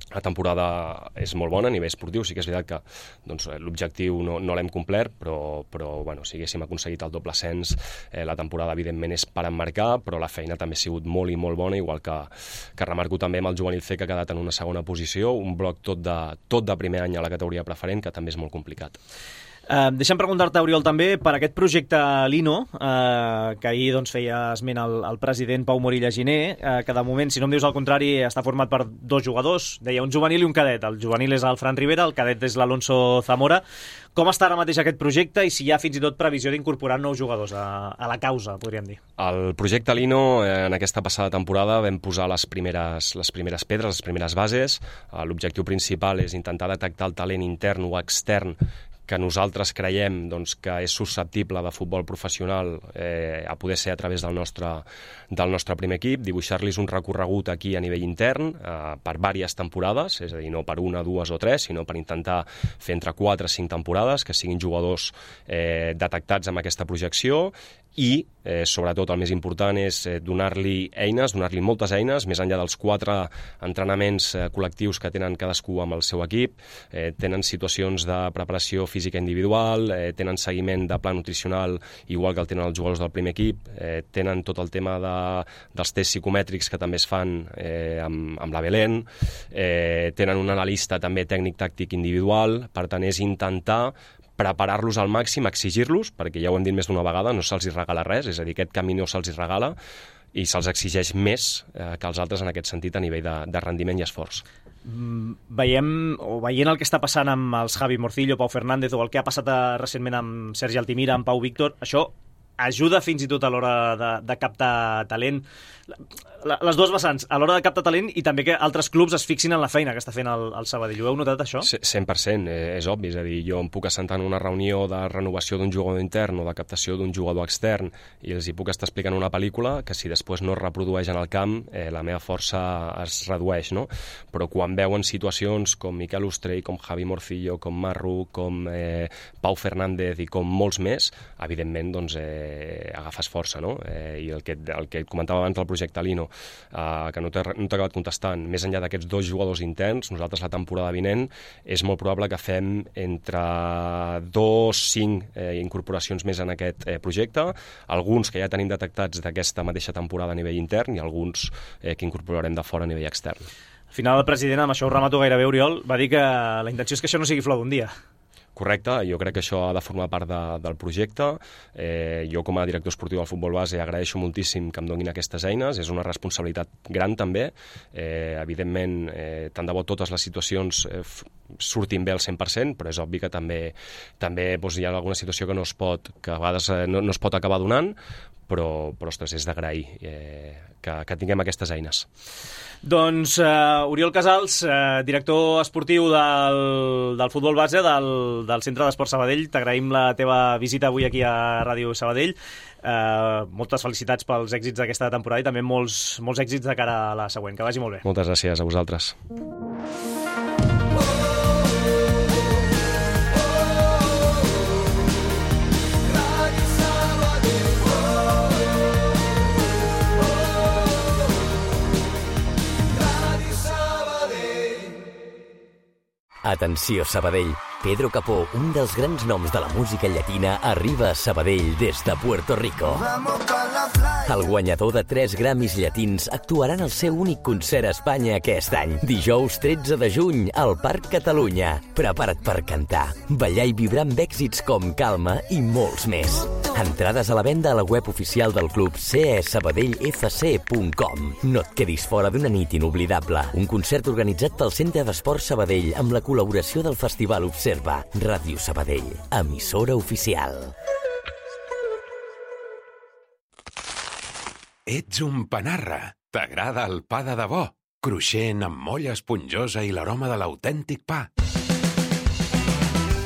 La temporada és molt bona a nivell esportiu, sí que és veritat que doncs, l'objectiu no l'hem complert, però bueno, si haguéssim aconseguit el doble ascens, la temporada evidentment és per emmarcar, però la feina també ha sigut molt i molt bona, igual que remarco també amb el juvenil C, que ha quedat en una segona posició, un bloc tot de primer any a la categoria preferent, que també és molt complicat. Deixa'm preguntar-te, Oriol, també per aquest projecte Lino, que ahir doncs, feia esment el president Pau Morilla Giner, que de moment, si no em dius el contrari, està format per 2 jugadors, deia un juvenil i un cadet. El juvenil és el Fran Rivera, el cadet és l'Alonso Zamora. Com està ara mateix aquest projecte i si hi ha fins i tot previsió d'incorporar nous jugadors a la causa, podríem dir? El projecte Lino, en aquesta passada temporada, vam posar les primeres pedres, les primeres bases. L'objectiu principal és intentar detectar el talent intern o extern que nosaltres creiem doncs, que és susceptible de futbol professional a poder ser a través del nostre primer equip, dibuixar-los un recorregut aquí a nivell intern per diverses temporades, és a dir, no per 1, 2 o 3, sinó per intentar fer entre 4 i 5 temporades, que siguin jugadors detectats amb aquesta projecció, i sobretot el més important és donar-li eines, donar-li moltes eines, més enllà dels 4 entrenaments col·lectius que tenen cadascú amb el seu equip, tenen situacions de preparació física individual, tenen seguiment de pla nutricional igual que el tenen els jugadors del primer equip, tenen tot el tema dels tests psicomètrics que també es fan amb la Belén, tenen un analista també tècnic-tàctic individual. Per tant, és intentar preparar-los al màxim, exigir-los, perquè ja ho hem dit més d'una vegada, no se'ls regala res, és a dir, aquest camí no se'ls regala i se'ls exigeix més que els altres en aquest sentit a nivell de rendiment i esforç. Veient el que està passant amb els Javi Morcillo, Pau Fernández, o el que ha passat recentment amb Sergi Altimira, amb Pau Víctor, això ajuda fins i tot a l'hora de captar talent. Les dues vessants, a l'hora de captar talent i també que altres clubs es fixin en la feina que està fent el Sabadell. Ho heu notat, això? 100%, és obvi. És a dir, jo em puc assentar en una reunió de renovació d'un jugador intern o de captació d'un jugador extern i els hi puc estar explicant una pel·lícula que si després no es reprodueix en el camp, la meva força es redueix, no? Però quan veuen situacions com Miquel Ostrell, com Javi Morcillo, com Marru, com Pau Fernández i com molts més, evidentment doncs, agafes força, no? I el que comentava abans del projecte Lino, que no t'he acabat contestant, més enllà d'aquests 2 jugadors interns, nosaltres la temporada vinent és molt probable que fem entre 2-5 incorporacions més en aquest projecte, alguns que ja tenim detectats d'aquesta mateixa temporada a nivell intern i alguns que incorporarem de fora a nivell extern. Al final el president, amb això ho remato gairebé, Oriol, va dir que la intenció és que això no sigui flor d'un dia. Correcte, jo crec que això ha de formar part del projecte. Jo com a director esportiu del futbol base agraeixo moltíssim que em donin aquestes eines, és una responsabilitat gran també. Evidentment, tant de bo totes les situacions surtin bé al 100%, però és obvi que també doncs, hi ha alguna situació que que a vegades no es pot acabar donant, però ostres, és d'agrair que tinguem aquestes eines. Doncs Oriol Casals, director esportiu del futbol base del Centre d'Esport Sabadell, t'agraïm la teva visita avui aquí a Ràdio Sabadell. Moltes felicitats pels èxits d'aquesta temporada i també molts èxits de cara a la següent. Que vagi molt bé. Moltes gràcies a vosaltres. Atenció, Sabadell. Pedro Capó, un dels grans noms de la música llatina, arriba a Sabadell des de Puerto Rico. El guanyador de 3 Grammys llatins actuarà en el seu únic concert a Espanya aquest any. Dijous 13 de juny, al Parc Catalunya. Prepara't per cantar, ballar i vibrar amb èxits com Calma i molts més. Entrades a la venda a la web oficial del club cesabadellfc.com. No et quedis fora d'una nit inoblidable. Un concert organitzat pel Centre d'Esport Sabadell amb la col·laboració del Festival Observa. Ràdio Sabadell, emissora oficial. Ets un panarra. T'agrada el pa de debò? Cruixent, amb molla esponjosa i l'aroma de l'autèntic pa.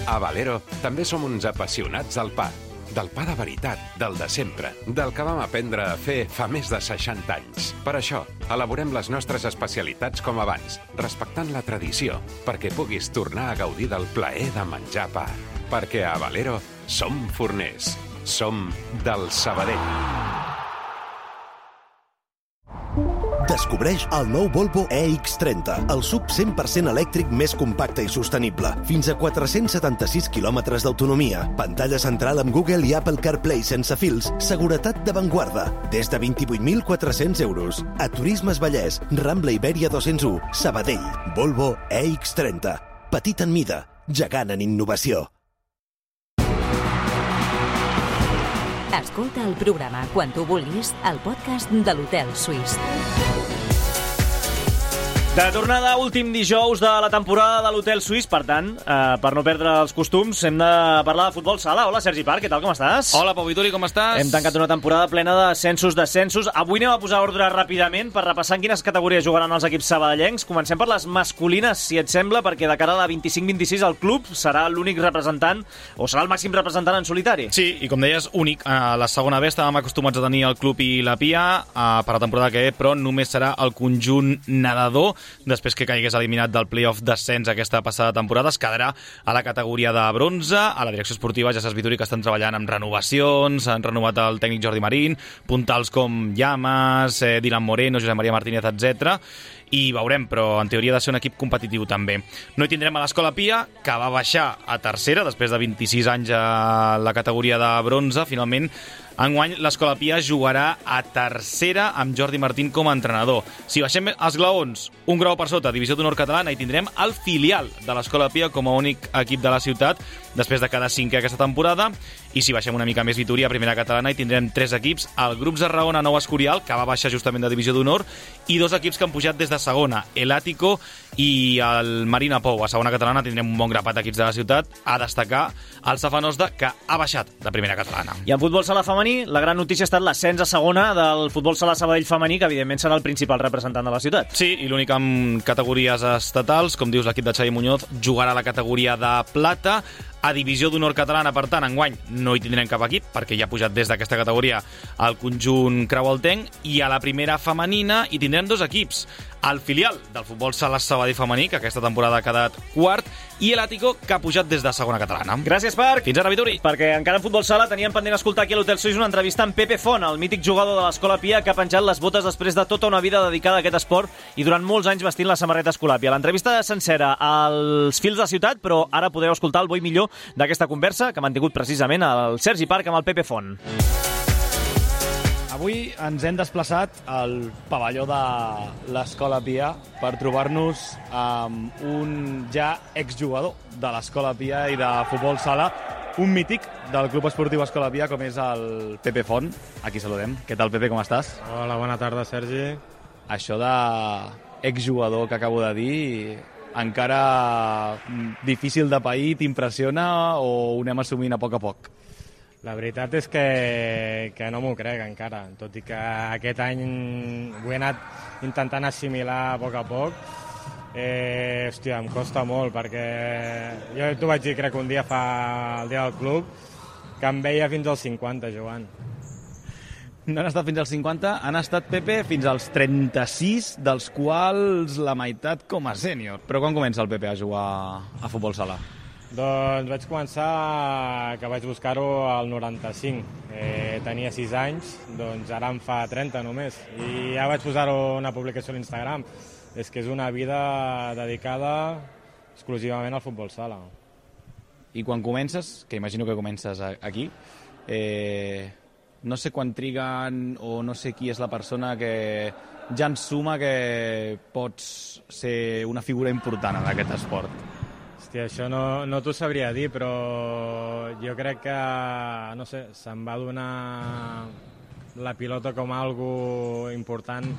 A Valero també som uns apassionats del pa. Del pa de veritat, del de sempre, del que vam aprendre a fer fa més de 60 anys. Per això, elaborem les nostres especialitats com abans, respectant la tradició, perquè puguis tornar a gaudir del plaer de menjar pa. Perquè a Valero som forners. Som del Sabadell. Descobreix el nou Volvo EX30, el SUV 100% elèctric més compacte i sostenible. Fins a 476 quilòmetres d'autonomia, pantalla central amb Google i Apple CarPlay sense fils, seguretat d'avantguarda, des de 28.400 euros. A Turismes Vallès, Rambla Ibèria 201, Sabadell. Volvo EX30. Petit en mida, gegant en innovació. Escolta el programa quan tu vulguis al podcast de l'Hotel Suís. De tornada, últim dijous de la temporada de l'Hotel Suís, per tant, per no perdre els costums, hem de parlar de futbol sala. Hola, Sergi Parc, què tal, com estàs? Hola, Pau Vituri, com estàs? Hem tancat una temporada plena de descensos. Avui anem a posar ordre ràpidament per repassar en quines categories jugaran els equips sabadellencs. Comencem per les masculines, si et sembla, perquè de cara a la 25-26 el club serà l'únic representant, o serà el màxim representant en solitari. Sí, i com deies, únic. A la segona B estàvem acostumats a tenir el club i la Pia per la temporada que ve, però només serà el conjunt nedador, després que caigués eliminat del play-off d'ascens aquesta passada temporada. Es quedarà a la categoria de bronze. A la direcció esportiva ja saps, Vituri, que estan treballant amb renovacions, han renovat el tècnic Jordi Marín, puntals com Llamas, Dylan Moreno, Josep Maria Martínez, etc. I veurem, però en teoria ha de ser un equip competitiu també. No hi tindrem a l'Escola Pia, que va baixar a tercera després de 26 anys a la categoria de bronze. Finalment, enguany l'Escola Pia jugarà a tercera amb Jordi Martín com a entrenador. Si baixem els glaons, un grau per sota, Divisió d'Honor Catalana, i tindrem el filial de l'Escola Pia com a únic equip de la ciutat, després de cada cinquè aquesta temporada. i si baixem una mica més Vitoria, primera catalana, i tindrem 3 equips, el Grup Tarragona Nou Escorial, que va baixar justament de divisió d'honor, i 2 equips que han pujat des de segona, el Àtico i el Marina Pou. A segona catalana tindrem un bon grapat d'equips de la ciutat, a destacar el Safanosda, que ha baixat de primera catalana. I en futbol sala femení, la gran notícia ha estat l'ascens a segona del futbol sala Sabadell femení, que evidentment serà el principal representant de la ciutat. Sí, i l'únic amb categories estatals, com dius, l'equip de Xavi Muñoz jugarà la categoria de plata. A divisió d'honor catalana, per tant, enguany no hi tindrem cap equip, perquè ja ha pujat des d'aquesta categoria el conjunt creualtenc, i a la primera femenina hi tindrem 2 equips, el filial del futbol sala Sabadell femení, que aquesta temporada ha quedat quart, i l'Àtico, que ha pujat des de segona catalana. Gràcies, Parc. Fins ara, Vitori. Perquè encara en futbol sala teníem pendent escoltar aquí a l'Hotel Suís una entrevista amb Pepe Font, el mític jugador de l'Escola Pia, que ha penjat les botes després de tota una vida dedicada a aquest esport i durant molts anys vestint la samarreta Escolàpia. L'entrevista sencera als fils de ciutat, però ara podeu escoltar el bo i millor d'aquesta conversa que ha mantingut precisament el Sergi Parc amb el Pepe Font. Avui ens hem desplaçat al pavelló de l'Escola Pia per trobar-nos amb un ja exjugador de l'Escola Pia i de futbol sala, un mític del Club Esportiu Escola Pia, com és el Pepe Font. Aquí saludem. Què tal, Pepe, com estàs? Hola, bona tarda, Sergi. Això d'exjugador que acabo de dir, encara difícil de pair, t'impressiona o ho anem assumint a poc a poc? La veritat és que no m'ho crec encara, tot i que aquest any ho he anat intentant assimilar a poc. Hòstia, em costa molt, perquè jo t'ho vaig dir, crec, un dia el dia del club, que em veia fins als 50 jugant. No han estat fins als 50, han estat, Pepe, fins als 36, dels quals la meitat com a sènior. Però quan comença el Pepe a jugar a futbol sala? Doncs vaig començar, que vaig buscar-ho al 95. Tenia 6 anys, doncs ara em fa 30 només. I ja vaig posar-ho una publicació a l'Instagram. És que és una vida dedicada exclusivament al futbol sala. I quan comences, que imagino que comences aquí, no sé quan triguen o no sé qui és la persona que ja ensuma que pots ser una figura important en aquest esport. Hòstia, això no t'ho sabria dir, però jo crec que, no sé, se'm va donar la pilota com algo important.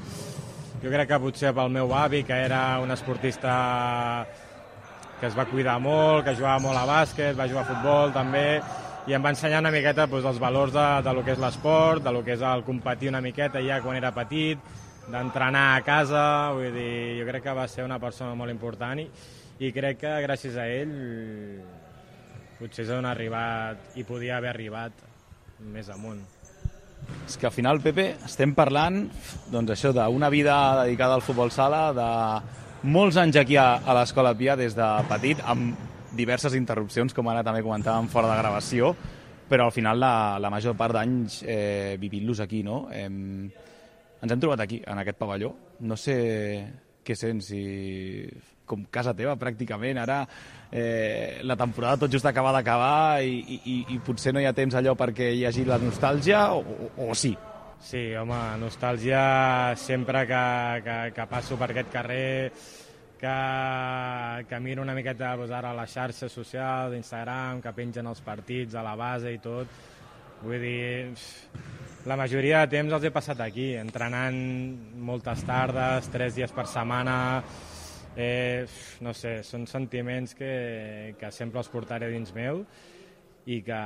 Jo crec que potser pel meu avi, que era un esportista que es va cuidar molt, que jugava molt a bàsquet, va jugar a futbol també, i em va ensenyar una miqueta els valors de lo que és l'esport, de lo que és el competir una miqueta ja quan era petit, d'entrenar a casa. Vull dir, jo crec que va ser una persona molt important i crec que gràcies a ell potser s'ha arribat i podia haver arribat més amunt. És que al final, Pepe, estem parlant doncs això d'una vida dedicada al futbol sala, de molts anys aquí a l'Escola Pia des de petit, amb diverses interrupcions, com ara també comentàvem fora de gravació, però al final la major part d'anys vivint-los aquí, no? Ens hem trobat aquí, en aquest pavelló. No sé què sents, com casa teva pràcticament. Ara la temporada tot just acaba d'acabar i potser no hi ha temps allò perquè hi hagi la nostàlgia, o sí? Sí, home, nostàlgia sempre que passo per aquest carrer, que miro una miqueta ara a les xarxes socials, d'Instagram, que pengen els partits a la base i tot. Vull dir, la majoria de temps els he passat aquí, entrenant moltes tardes, 3 dies per setmana. No sé, són sentiments que sempre els portaré dins meu i que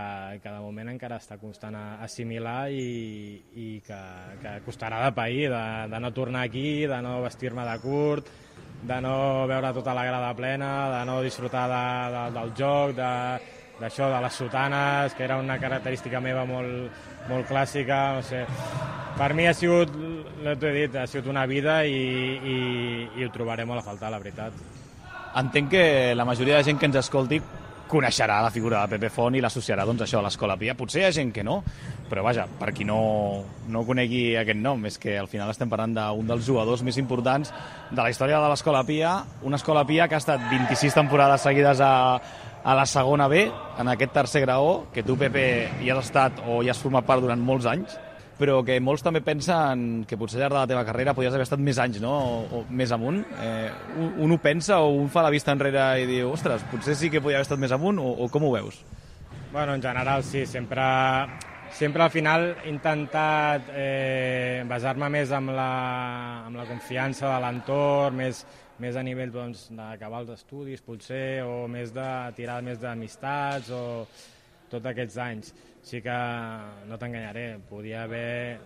de moment encara està costant assimilar i que costarà de pair, de no tornar aquí, de no vestir-me de curt, de no veure tota la grada plena, de no disfrutar del joc, d'això, de les sotanes, que era una característica meva molt clàssica. No sé. Per mi ha sigut, t'ho he dit, ha sigut una vida i ho trobaré molt a faltar, la veritat. Entenc que la majoria de gent que ens escolti coneixerà la figura de Pepe Font i l'associarà doncs, això a l'Escola Pia. Potser hi ha gent que no, però vaja, per qui no conegui aquest nom, és que al final estem parlant d'un dels jugadors més importants de la història de l'Escola Pia, una Escola Pia que ha estat 26 temporades seguides a la segona B, en aquest tercer graó, que tu, Pepe, hi has estat o hi has format part durant molts anys, però que molts també pensen que potser al llarg de la teva carrera podries haver estat més anys, no? O més amunt. Un ho pensa o un fa la vista enrere i diu, ostres, potser sí que podia haver estat més amunt, o com ho veus? Bueno, en general sí, sempre al final he intentat basar-me més amb la confiança de l'entorn, més a nivell d'acabar els estudis potser, o més de tirar més d'amistats o tots aquests anys. Sí que no t'enganyaré, podia haver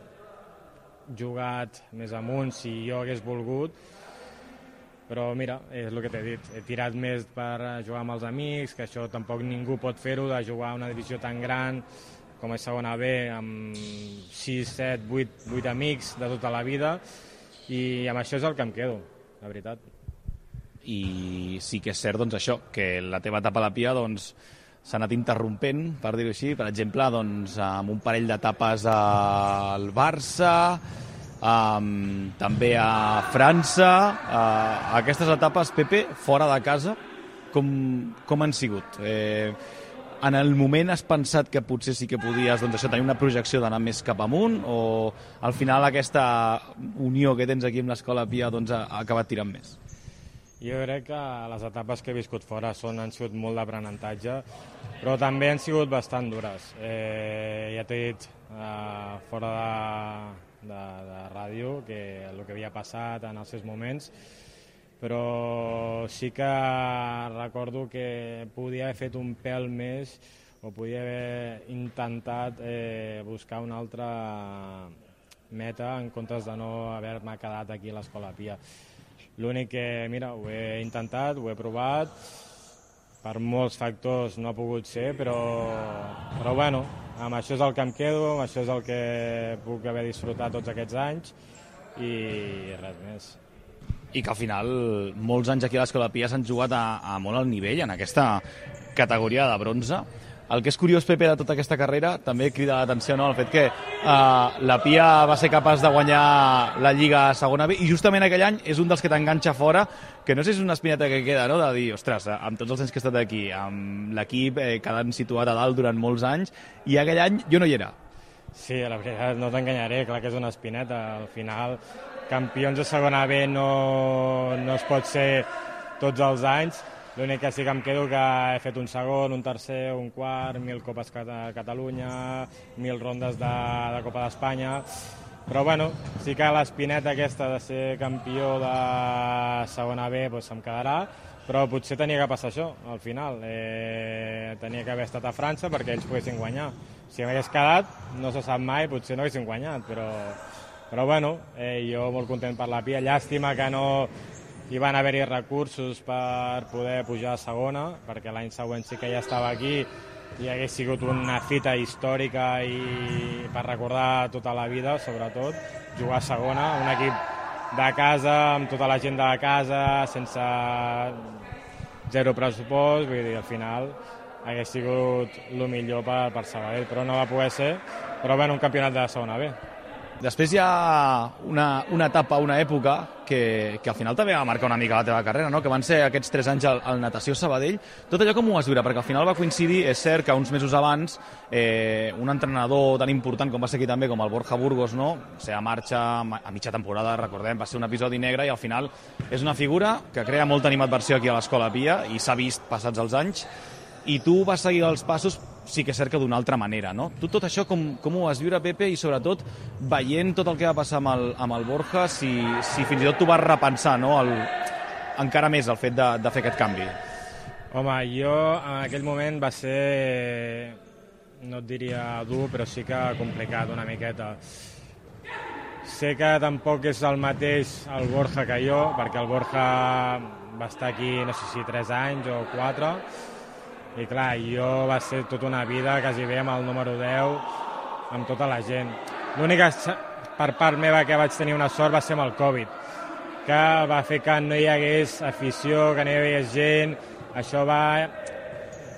jugat més amunt si jo hagués volgut, però mira, és el que t'he dit, he tirat més per jugar amb els amics, que això tampoc ningú pot fer-ho, de jugar a una divisió tan gran com és segona B, amb 6, 7, 8 amics de tota la vida, i amb això és el que em quedo, la veritat. I sí que és cert, doncs, això, que la teva etapa a la Pia, doncs, s'ha anat interrompent, per dir-ho així, per exemple, doncs, amb un parell d'etapes al Barça, també a França. Aquestes etapes, Pepe, fora de casa, com han sigut? En el moment has pensat que potser sí que podies, doncs, això, tenir una projecció d'anar més cap amunt, o al final aquesta unió que tens aquí amb l'Escola Pia, doncs, ha acabat tirant més? Jo crec que les etapes que he viscut fora han sigut molt d'aprenentatge, però també han sigut bastant dures. Ja t'he dit fora de ràdio que el que havia passat en els seus moments, però sí que recordo que podia haver fet un pèl més o podia haver intentat buscar una altra meta en comptes de no haver-me quedat aquí a l'Escola Pia. L'únic que, mira, ho he intentat, ho he provat, per molts factors no ha pogut ser, però bueno, amb això és el que em quedo, amb això és el que puc haver disfrutat tots aquests anys i res més. I que al final molts anys aquí a l'Escola Pia s'han jugat a molt alt nivell en aquesta categoria de bronze. El que és curiós, Pepe, de tota aquesta carrera, també crida l'atenció, no?, el fet que la Pia va ser capaç de guanyar la Lliga a segona B, i justament aquell any és un dels que t'enganxa fora, que no sé si és una espineta que queda, no?, de dir, ostres, amb tots els anys que he estat aquí, amb l'equip quedant situat a dalt durant molts anys, i aquell any jo no hi era. Sí, la veritat, no t'enganyaré, clar que és una espineta. Al final, campions de segona B no es pot ser tots els anys. L'únic que sí que em quedo que he fet un segon, un tercer, un quart, 1.000 Copes a Catalunya, 1.000 rondes de Copa d'Espanya. Però bueno, sí que l'espineta aquesta de ser campió de segona B doncs em quedarà, però potser tenia que passar això al final. Tenia que haver estat a França perquè ells poguessin guanyar. Si m'hagués quedat, no se sap mai, potser no haguessin guanyat, però bueno, jo molt content per la Pia. Llàstima que no hi van haver-hi recursos per poder pujar a segona, perquè l'any següent sí que ja estava aquí i hagués sigut una fita històrica i per recordar tota la vida, sobretot, jugar a segona, un equip de casa, amb tota la gent de la casa, sense zero pressupost, vull dir, al final hagués sigut el millor per Sabadell, però no va poder ser, però bueno, un campionat de segona B. Després hi ha una etapa, una època que al final també va marcar una mica la teva carrera, no?, que van ser aquests 3 anys al Natació Sabadell. Tot allò com ho vas viure? Perquè al final va coincidir, és cert que uns mesos abans un entrenador tan important com va ser aquí també, com el Borja Burgos, no?, o sigui, marxa a mitja temporada, recordem, va ser un episodi negre i al final és una figura que crea molta animadversió aquí a l'Escola Pia i s'ha vist passats els anys, i tu vas seguir els passos, sí que és cert que d'una altra manera, no? Tu tot això com ho vas viure, Pepe, i sobretot veient tot el que va passar amb el Borja, si fins i tot tu vas repensar, no?, encara més el fet de fer aquest canvi. Home, jo en aquell moment va ser, no et diria dur, però sí que complicat una miqueta. Sé que tampoc és el mateix el Borja que jo, perquè el Borja va estar aquí, no sé si 3 anys o 4, i clar, jo va ser tota una vida quasi bé amb el número 10, amb tota la gent. L'única per part meva que vaig tenir una sort va ser amb el Covid, que va fer que no hi hagués afició, que no hi hagués gent. Això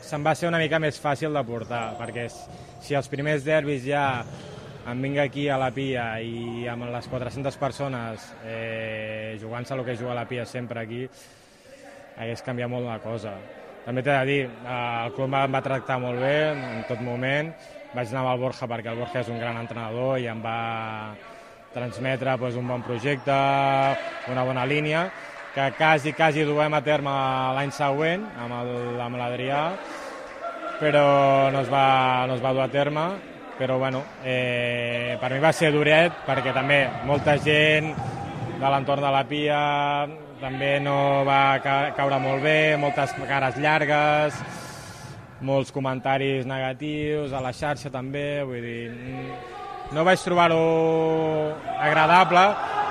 se'm va ser una mica més fàcil de portar, perquè si els primers derbis ja em vinc aquí a la Pia i amb les 400 persones jugant-se el que juga la Pia sempre aquí, hagués canviat molt la cosa. També t'he de dir, el club em va tractar molt bé en tot moment. Vaig anar amb el Borja perquè el Borja és un gran entrenador i em va transmetre un bon projecte, una bona línia, que quasi duem a terme l'any següent amb l'Adrià, però no es va dur a terme, però bueno, per mi va ser duret perquè també molta gent de l'entorn de la Pia també no va caure molt bé, moltes cares llargues, molts comentaris negatius, a la xarxa també, vull dir, no vaig trobar-ho agradable,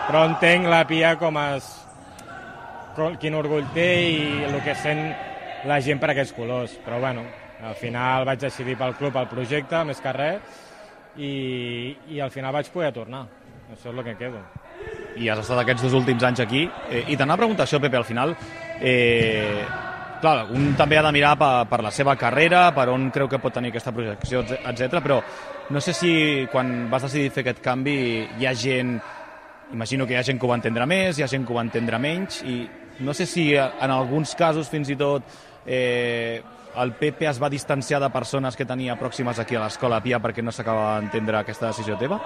però entenc la Pia quin orgull té i el que sent la gent per aquests colors, però bueno, al final vaig decidir pel club, el projecte, més que res, i al final vaig poder tornar, això és el que quedo. I has estat aquests 2 últims anys aquí, i t'anava a preguntar això, Pepe, al final, clar, un també ha de mirar per la seva carrera, per on creu que pot tenir aquesta projecció, etc. Però no sé si quan vas decidir fer aquest canvi hi ha gent, imagino que hi ha gent que ho va entendre més, hi ha gent que ho va entendre menys, i no sé si en alguns casos fins i tot el Pepe es va distanciar de persones que tenia pròximes aquí a l'Escola Pia perquè no s'acaba d'entendre aquesta decisió teva?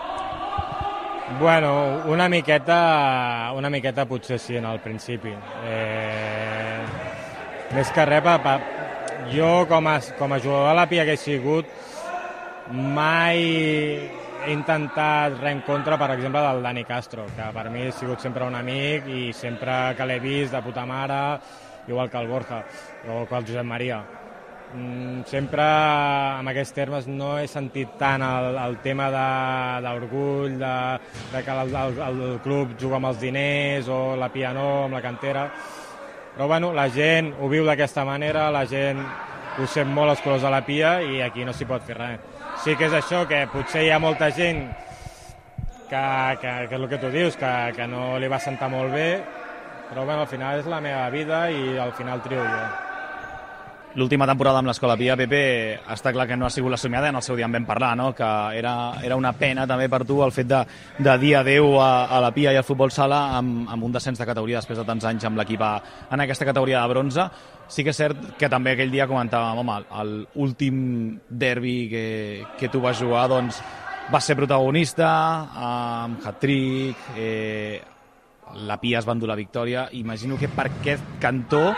Bueno, una miqueta potser sí en el principi. Més que res, jo com a jugador de la Pia que he sigut, mai he intentat res en contra, per exemple, del Dani Castro, que per mi ha sigut sempre un amic i sempre que l'he vist de puta mare, igual que el Borja o que el Josep Maria. Sempre en aquests termes no he sentit tant el tema d'orgull, de que el club juga amb els diners o la Pia no, amb la cantera. Però bueno, la gent ho viu d'aquesta manera, la gent ho sent molt els colors de la Pia i aquí no s'hi pot fer res. Sí que és això, que potser hi ha molta gent que és el que tu dius, que no li va sentar molt bé, però bueno, al final és la meva vida i al final trio jo. L'última temporada amb l'Escola Pia, Pepe, està clar que no ha sigut la somiada, en el seu dia en vam parlar, no? Que era una pena també per tu el fet de dir adeu a la Pia i al futbol sala amb un descens de categoria després de tants anys amb l'equip en aquesta categoria de bronze. Sí que és cert que també aquell dia comentàvem, home, l'últim derbi que tu vas jugar, doncs, vas ser protagonista amb hat-trick, la Pia es va endur la victòria. Imagino que per aquest cantó,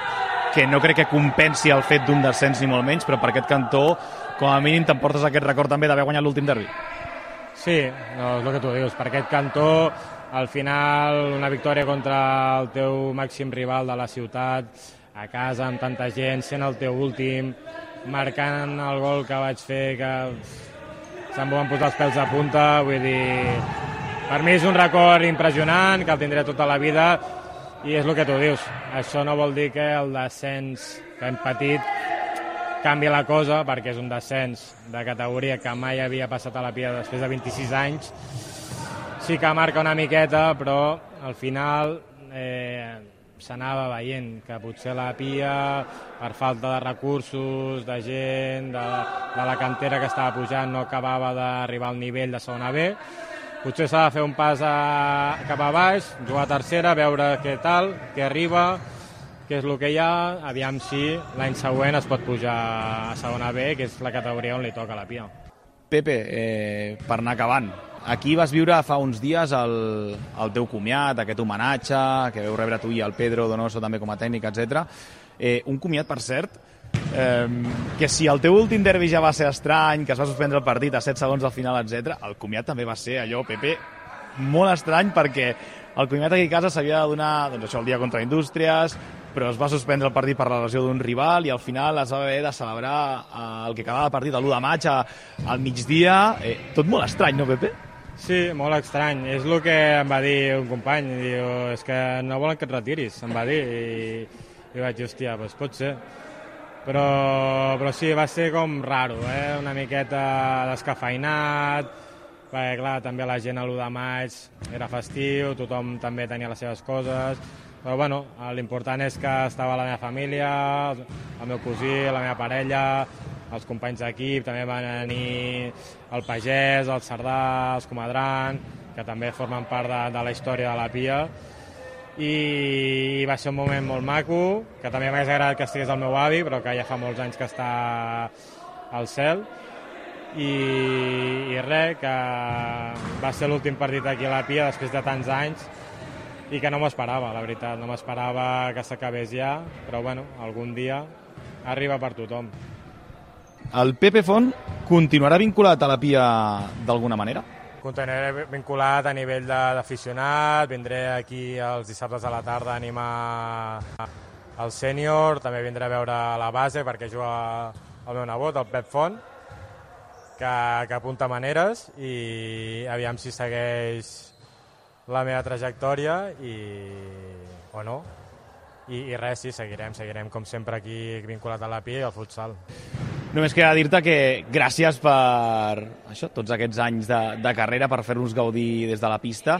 que no crec que compensi el fet d'un descens ni molt menys, però per aquest cantó, com a mínim, t'emportes aquest record també d'haver guanyat l'últim derbi. Sí, no, és el que tu dius. Per aquest cantó, al final, una victòria contra el teu màxim rival de la ciutat, a casa, amb tanta gent, sent el teu últim, marcant el gol que vaig fer, que se'm van posar els pèls a punta, vull dir... Per mi és un record impressionant, que el tindré tota la vida, i és el que tu dius. Això no vol dir que el descens que hem patit canvi la cosa, perquè és un descens de categoria que mai havia passat a la Pia després de 26 anys. Sí que marca una miqueta, però al final s'anava veient que potser la Pia, per falta de recursos, de gent, de la cantera que estava pujant, no acabava d'arribar al nivell de segona B. Potser s'ha de fer un pas cap a baix, jugar a tercera, veure què tal, què arriba, què és el que hi ha, aviam si l'any següent es pot pujar a segona B, que és la categoria on li toca a la Pia. Pepe, per anar acabant, aquí vas viure fa uns dies el teu comiat, aquest homenatge, que veu rebre tu i el Pedro Donoso també com a tècnic, etc. Un comiat, per cert, que si el teu últim derbi ja va ser estrany, que es va suspendre el partit a 7 segons al final, etc., el comiat també va ser allò, Pepe, molt estrany, perquè el comiat aquí a casa s'havia de donar, doncs això, el dia contra Indústries, però es va suspendre el partit per la lesió d'un rival i al final es va haver de celebrar el que acabava el partit l'1 de maig al migdia. Tot molt estrany, no, Pepe? Sí, molt estrany. És el que em va dir un company. Diu, és que no volen que et retiris, em va dir. I vaig dir, hòstia, doncs pot ser. Però sí, va ser com raro, una miqueta descafeinat, perquè clar, també la gent a l'1 de maig era festiu, tothom també tenia les seves coses, però bueno, l'important és que estava la meva família, el meu cosí, la meva parella, els companys d'equip, també van venir el Pagès, el Cerdà, els Comadran, que també formen part de la història de la Pia, i va ser un moment molt maco, que també m'hagués agradat que estigués el meu avi, però que ja fa molts anys que està al cel, i res, que va ser l'últim partit aquí a la Pia després de tants anys i que no m'ho esperava, la veritat, no m'esperava que s'acabés ja, però bueno, algun dia arriba per tothom. el Pepe Font continuarà vinculat a la Pia d'alguna manera? Continuaré vinculat a nivell d'aficionat, vindré aquí els dissabtes a la tarda a animar el sènior, també vindré a veure la base perquè juga el meu nebot, el Pep Font, que apunta maneres i aviam si segueix la meva trajectòria o no. I res, sí, seguirem com sempre aquí vinculat a la Pia i al futsal. Només queda dir-te que gràcies per això, tots aquests anys de carrera, per fer-nos gaudir des de la pista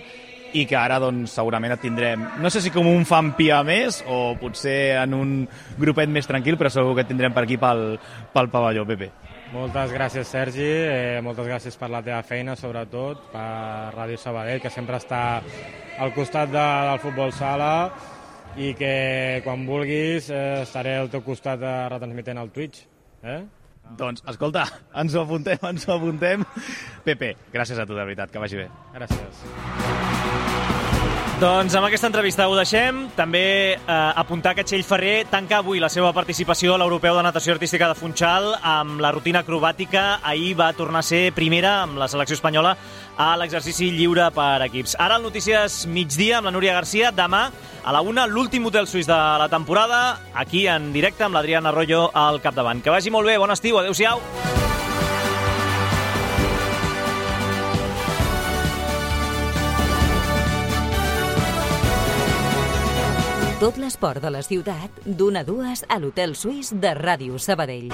i que ara doncs, segurament et tindrem, no sé si com un fan Pia més o potser en un grupet més tranquil, però segur que et tindrem per aquí pel pavelló, Pepe. Moltes gràcies, Sergi, moltes gràcies per la teva feina, sobretot, per Ràdio Sabadell, que sempre està al costat del futbol sala i que quan vulguis estaré al teu costat retransmitent al Twitch. Doncs, escolta, ens ho apuntem. Pepe, gràcies a tu, de veritat, que vagi bé. Gràcies. Doncs amb aquesta entrevista ho deixem. També apuntar que Txell Ferrer tanca avui la seva participació a l'Europeu de Natació Artística de Funchal amb la rutina acrobàtica. Ahir va tornar a ser primera amb la selecció espanyola a l'exercici lliure per equips. Ara el Notícies Migdia amb la Núria Garcia. Demà a la 1, l'últim hotel suís de la temporada, aquí en directe amb l'Adrián Arroyo al capdavant. Que vagi molt bé, bon estiu, adeu-siau. Tot l'esport de la ciutat, d'1 a 2 a l'Hotel Suís de Ràdio Sabadell.